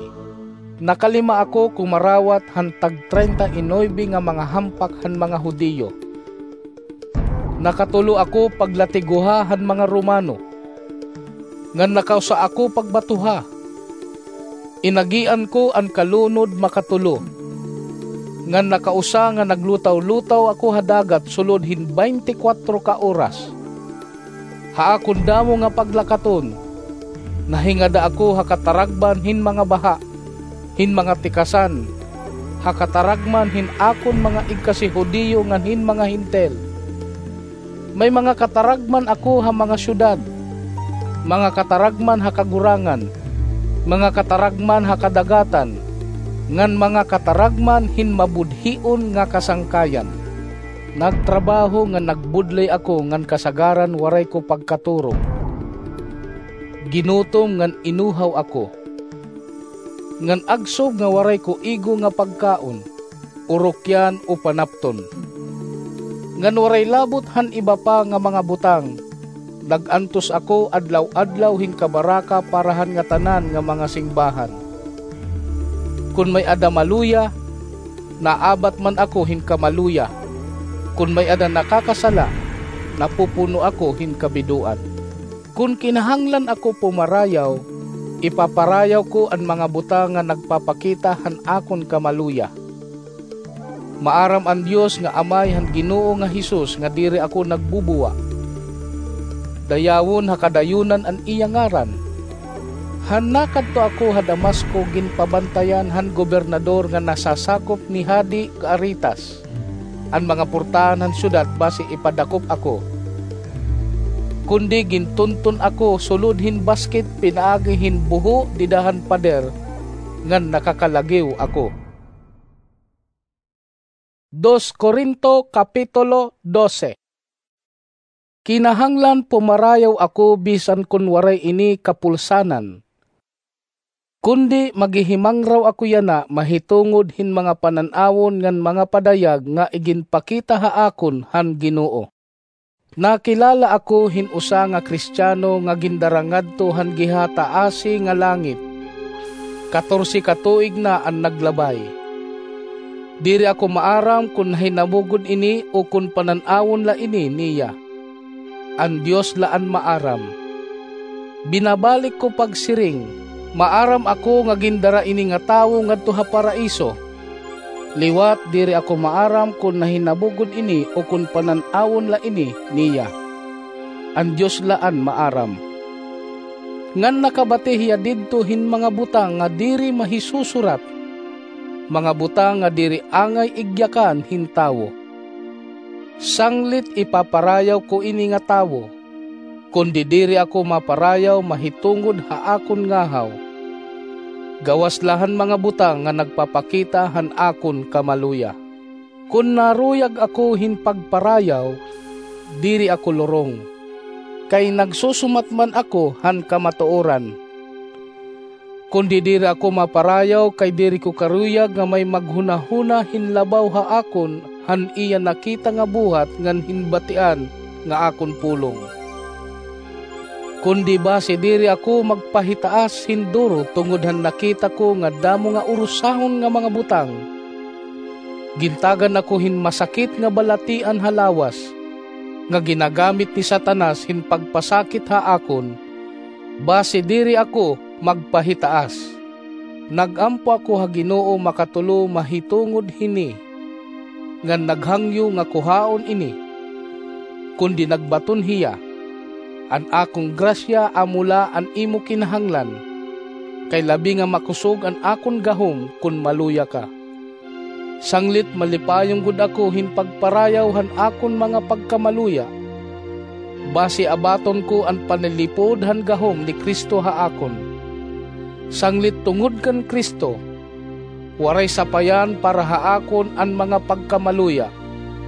Nakalima ako kumarawat han tag-treinta y nuebe nga mga hampak han mga Judio. Nakatulo ako paglatiguha han mga Romano, ngan nakausa ako pagbatuha. Inagian ko an kalunod makatulo, ngan nakausa nga naglutaw-lutaw ako ha dagat sulod hin baynte kwatro ka oras. Ha akon damo nga paglakaton, nahingada ako ha kataragman hin mga baha, hin mga tikasan, ha kataragman hin akon mga igkasi-Judio ngan hin mga Hentil. May mga kataragman ako ha mga syudad, mga kataragman ha kagurangan, mga kataragman ha kadagatan, ngan mga kataragman hin mabudhion nga kasangkayan. Nagtrabaho ngan nagbudlay ako ngan kasagaran waray ko pagkaturog. Ginutom ngan inuhaw ako, ngan agsob nga waray ko igo nga pagkaon, urokyan o panapton. Ngan waray labot han iba pa nga mga butang, nag-antos ako adlaw-adlaw hin kabaraka para han ngatanan nga mga singbahan. Kon may-ada maluya, naabat man ako hin kamaluya. Kon may-ada nakakasala, napupuno ako hin kabidoan. Kon kinahanglan ako pumarayaw, ipaparayaw ko an mga butang nga nagpapakita han akon kamaluya. Maaram an Dios nga Amay han Ginoo nga Jesus nga diri ako nagbubuwa. Dayawon ha kadayonan an iya ngaran. Han nakadto ako ha Damasco, ginpabantayan han gobernador nga nasasakop ni Hadi Aretas an mga portahan han syudad basi ipadakop ako. Kundi gintunton ako sulod hin basket pinaagi hin buho dida han pader ngan nakakalagiw ako. Dos Corinto, Kapitulo dose. Kinahanglan pumarayaw ako bisan kon waray ini kapulsanan. Kundi maghihimangraw ako yana mahitungod hin mga panan-awon ngan mga padayag nga iginpakita ha akon han Ginoo. Nakilala ako hin usa nga Kristiano nga gindara ngadto han gihataasi nga langit. Katorse ka tuig na an naglabay. Diri ako maaram kon nahinabo gud ini o kon panan-awon la ini niya. An Dios la an maaram. Binabalik ko pagsiring, maaram ako nga gindara ini nga tawo ngadto ha Paraiso. Liwat diri ako maaram kon nahinabo gud ini o kon panan-awon la ini niya. An Dios la an maaram. Ngan nakabati hiya didto hin mga butang nga diri mahisusurat, mga butang nga diri angay igyakan hin tawo. Sanglit ipaparayaw ko ini nga tawo, kundi diri ako maparayaw mahitungod ha akon ngahaw, gawas la han mga butang nga nagpapakita han akon kamaluya. Kon naruyag ako hin pagparayaw, diri ako lurong, kay nagsusumat man ako han kamatuoran. Kundi diri ako maparayaw kay diri ko karuyag nga may maghunahuna hin labaw ha akon han iya nakita nga buhat ngan hin batian nga akon pulong. Kundi basi diri ako magpahitaas hin duro tungod han nakita ko nga damo nga urusahon nga mga butang. Gintagan ako hin masakit nga balatian ha lawas, nga ginagamit ni Satanas hin pagpasakit ha akon, basi diri ako magpahitaas. Nag-ampo ako ha Ginoo makatulo mahitungod hini, ngan naghangyo nga kuhaon ini. Kundi nagbaton hiya, an akon grasya amo la an imo kinahanglan, kay labi nga makusog an akon gahom kon maluya ka. Sanglit malipayon gud ako hin pagparayaw han akon mga pagkamaluya, basi abaton ko an panilipod han gahom ni Cristo ha akon. Sanglit tungod kan Cristo, waray sapayan para ha akon an mga pagkamaluya,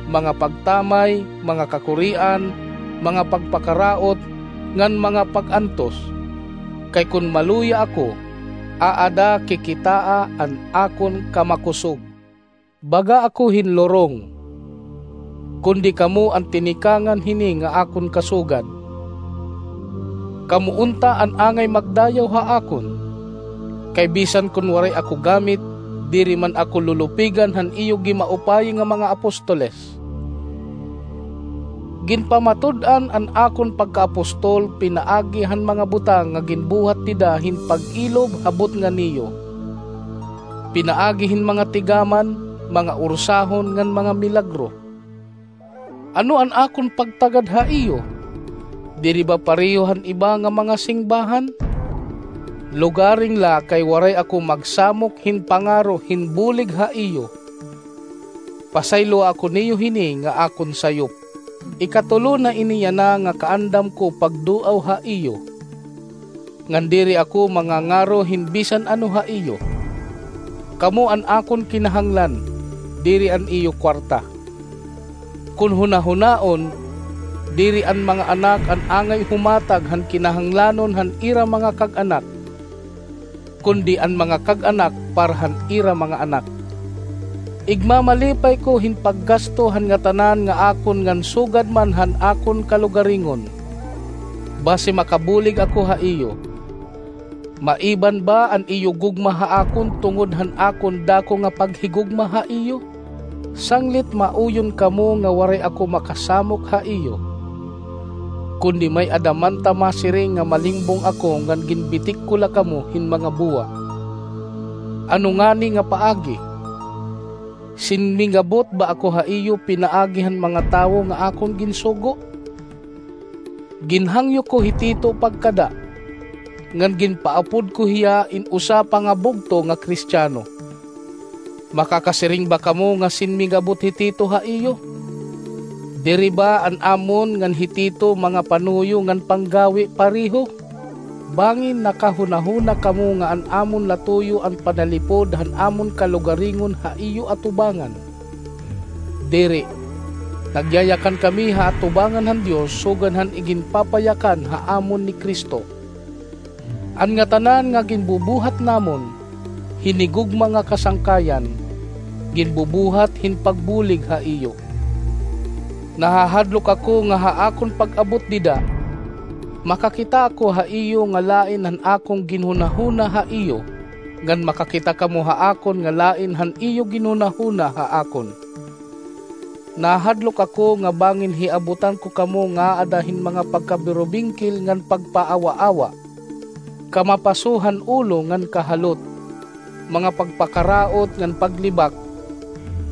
mga pagtamay, mga kakurian, mga pagpakaraot, ngan mga pag-antos. Kay kon maluya ako, aada kikitaa an akon kamakusog. Baga ako hin lurong, kundi kamo an tinikangan hini nga akon kasugad. Kamo unta an angay magdayaw ha akon, kay bisan kon waray ako gamit, diri man ako lulupigan han iyo gimaupayi nga mga apostoles. Ginpamatud-an an akon pagkaapostol pinaagi han mga butang nga ginbuhat dida hin pag-ilob ha butnga niyo, pinaagi hin mga tigaman, mga ursahon ngan mga milagro. Ano an akon pagtagad ha iyo? Diri ba pareho han iba nga mga singbahan? Lugaring la kay waray ako magsamok hin pangaro hin bulig ha iyo. Pasayloa ako niyo hini nga akon sayop. Ikatulo na ini yana nga kaandam ko pagduaw ha iyo, ngan diri ako mangangaro hin bisan ano ha iyo. Kamo an akon kinahanglan, diri an iyo kuwarta. Kon hunahunaon, diri an mga anak an angay humatag han kinahanglanon han ira mga kag-anak, kundi an mga kag-anak para han ira mga anak. Igmamalipay ko hin paggasto han ngatanan nga akon ngan sugad man han akon kalugaringon, basi makabulig ako ha iyo. Maiban ba an iyo gugma ha akon tungod han akon dako nga paghigugma ha iyo? Sanglit mauyon kamo nga waray ako makasamok ha iyo. Kundi may-ada man ta masiring nga malingbong ako ngan ginbitik ko la kamo hin mga buwa. Ano ngani nga paagi? Sinmingabot ba ako ha iyo pinaagi han mga tawo nga akon ginsugo? Ginhangyo ko hi Tito pagkada, ngan ginpaapod ko hiya in usa pa nga bugto nga Kristiano. Makakasiring ba kamo nga sinmigabot hi Tito ha iyo? Diri ba an amon ngan hi Tito mga panuyo ngan panggawi pareho? Bangin nakahunahuna kamo nga an amon latuyo an panalipod han amon kalugaringon ha iyo atubangan? Diri. Nagyayakan kami ha atubangan han Dios sugad han iginpapayakan ha amon ni Cristo. An ngatanan nga ginbubuhat namon, hinigugma nga kasangkayan, ginbubuhat hin pagbulig ha iyo. Nahahadlok ako nga ha akon pag-abot dida, makakita ako ha iyo nga lain han akon ginhunahuna ha iyo, ngan makakita kamo ha akon nga lain han iyo ginhunahuna ha akon. Nahadlok ako nga bangin hiabutan ko kamo nga aada hin mga pagkabirubingkil ngan pagpaawaawa, kamapaso han ulo ngan kahalot, mga pagpakaraot ngan paglibak,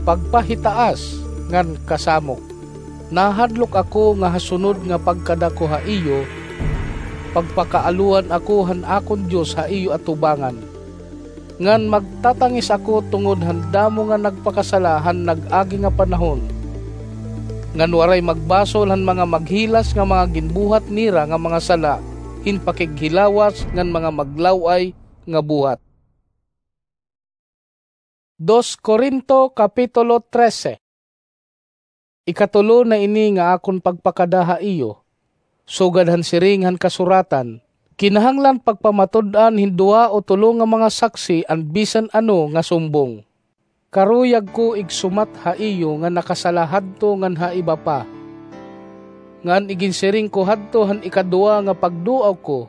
pagpahitaas ngan kasamok. Nahadlok ako nga ha sunod nga pagkada ko ha iyo, pagpakaaloan ako han akon Dios ha iyo atubangan. Ngan magtatangis ako tungod han damo nga nagpakasala han nag-agi nga panahon, ngan waray magbasol han mga maghilas nga mga ginbuhat nira nga mga sala hin pakighilawas ngan mga maglaw-ay nga buhat. Dos Corinto, Kapitulo trese. Ikatulo na ini nga akon pagpakada ha iyo. Sugad han siring han kasuratan, kinahanglan pagpamatud-an hin duha o tulo nga mga saksi an bisan ano nga sumbong. Karuyag ko igsumat ha iyo nga nakasala hadto ngan ha iba pa, ngan iginsiring ko hadto han ikaduha nga pagduaw ko,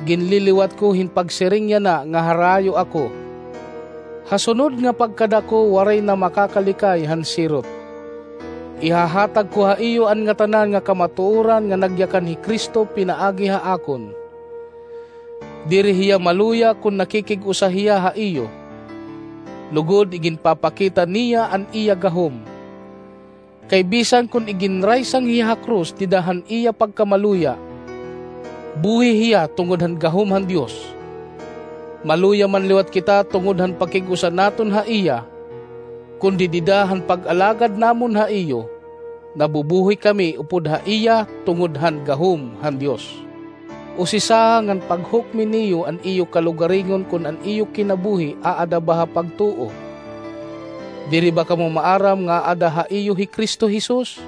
ginliliwat ko hin pagsiring yana nga harayo ako. Ha sunod nga pagkada ko, waray na makakalikay han sirot. Ihahatag ko ha iyo an ngatanan nga kamatuoran nga nagyakan hi Cristo pinaagi ha akon. Diri hiya maluya kon nakikig-usa hiya ha iyo, lugod iginpapakita niya an iya gahom. Kay bisan kon iginraysang hiya ha krus dida han iya pagkamaluya, buhi hiya tungod han gahom han Dios. Maluya man liwat kita tungod han pakig-usa naton ha iya, kundi dida han pag-alagad namon ha iyo, nabubuhi kami upod ha iya tungod han gahom han Dios. Usisaha ngan paghukmi niyo an iyo kalugaringon kon an iyo kinabuhi aada ba ha pagtuo. Diri ba kamo maaram nga aada ha iyo hi Cristo Jesus?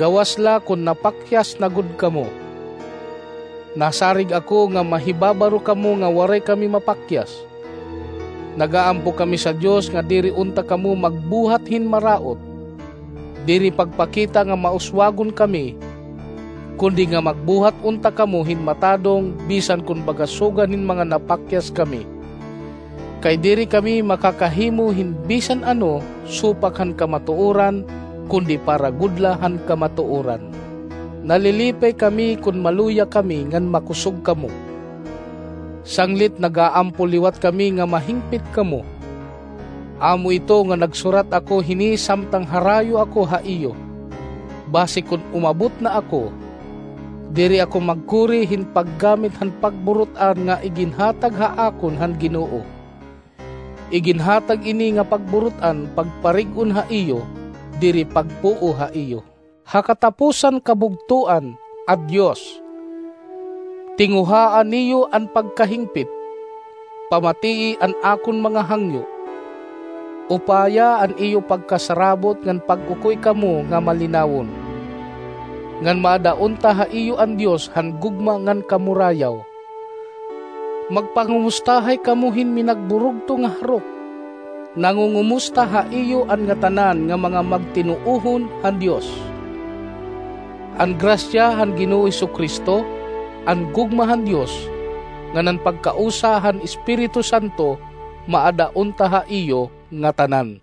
Gawas la kon napakyas na gud kamo. Nasarig ako nga mahibabaro kamo nga waray kami mapakyas. Nagaampo kami sa Dios nga diri unta kamo magbuhat hin maraot, diri pagpakita nga mauswagon kami, kundi nga magbuhat unta kamo hin matadong bisan kon baga sugad hin mga napakyas kami. Kay diri kami makakahimo hin bisan ano supak han kamatuoran, kundi para gud la han kamatuoran. Nalilipay kami kon maluya kami ngan makusog kamo. Sanglit nagaampo liwat kami nga mahingpit kamo. Amo ito nga nagsurat ako hini samtang harayo ako ha iyo, basi kon umabot na ako, diri ako magkuri hin paggamit han pagburut-an nga iginhatag ha akon han Ginoo. Iginhatag ini nga pagburut-an pagparig-on ha iyo, diri pagpuo ha iyo. Ha katapusan kabugtoan, a Dios, tinguhaa niyo an pagkahingpit, pamatii an akon mga hangyo. Upaya an iyo pagkasarabot ngan pag-ukoy kamo nga malinawon, ngan maada unta ha iyo an Dios han gugma ngan kamurayaw. Magpangumustahay kamo hin minagburugto nga harok. Nangungumusta ha iyo an ngatanan nga mga magtinuohon han Dios. An grasya han Ginoo Jesu-Cristo, an gugma han Dios, ngan an pagkausa han Espiritu Santo maada unta ha iyo ngatanan.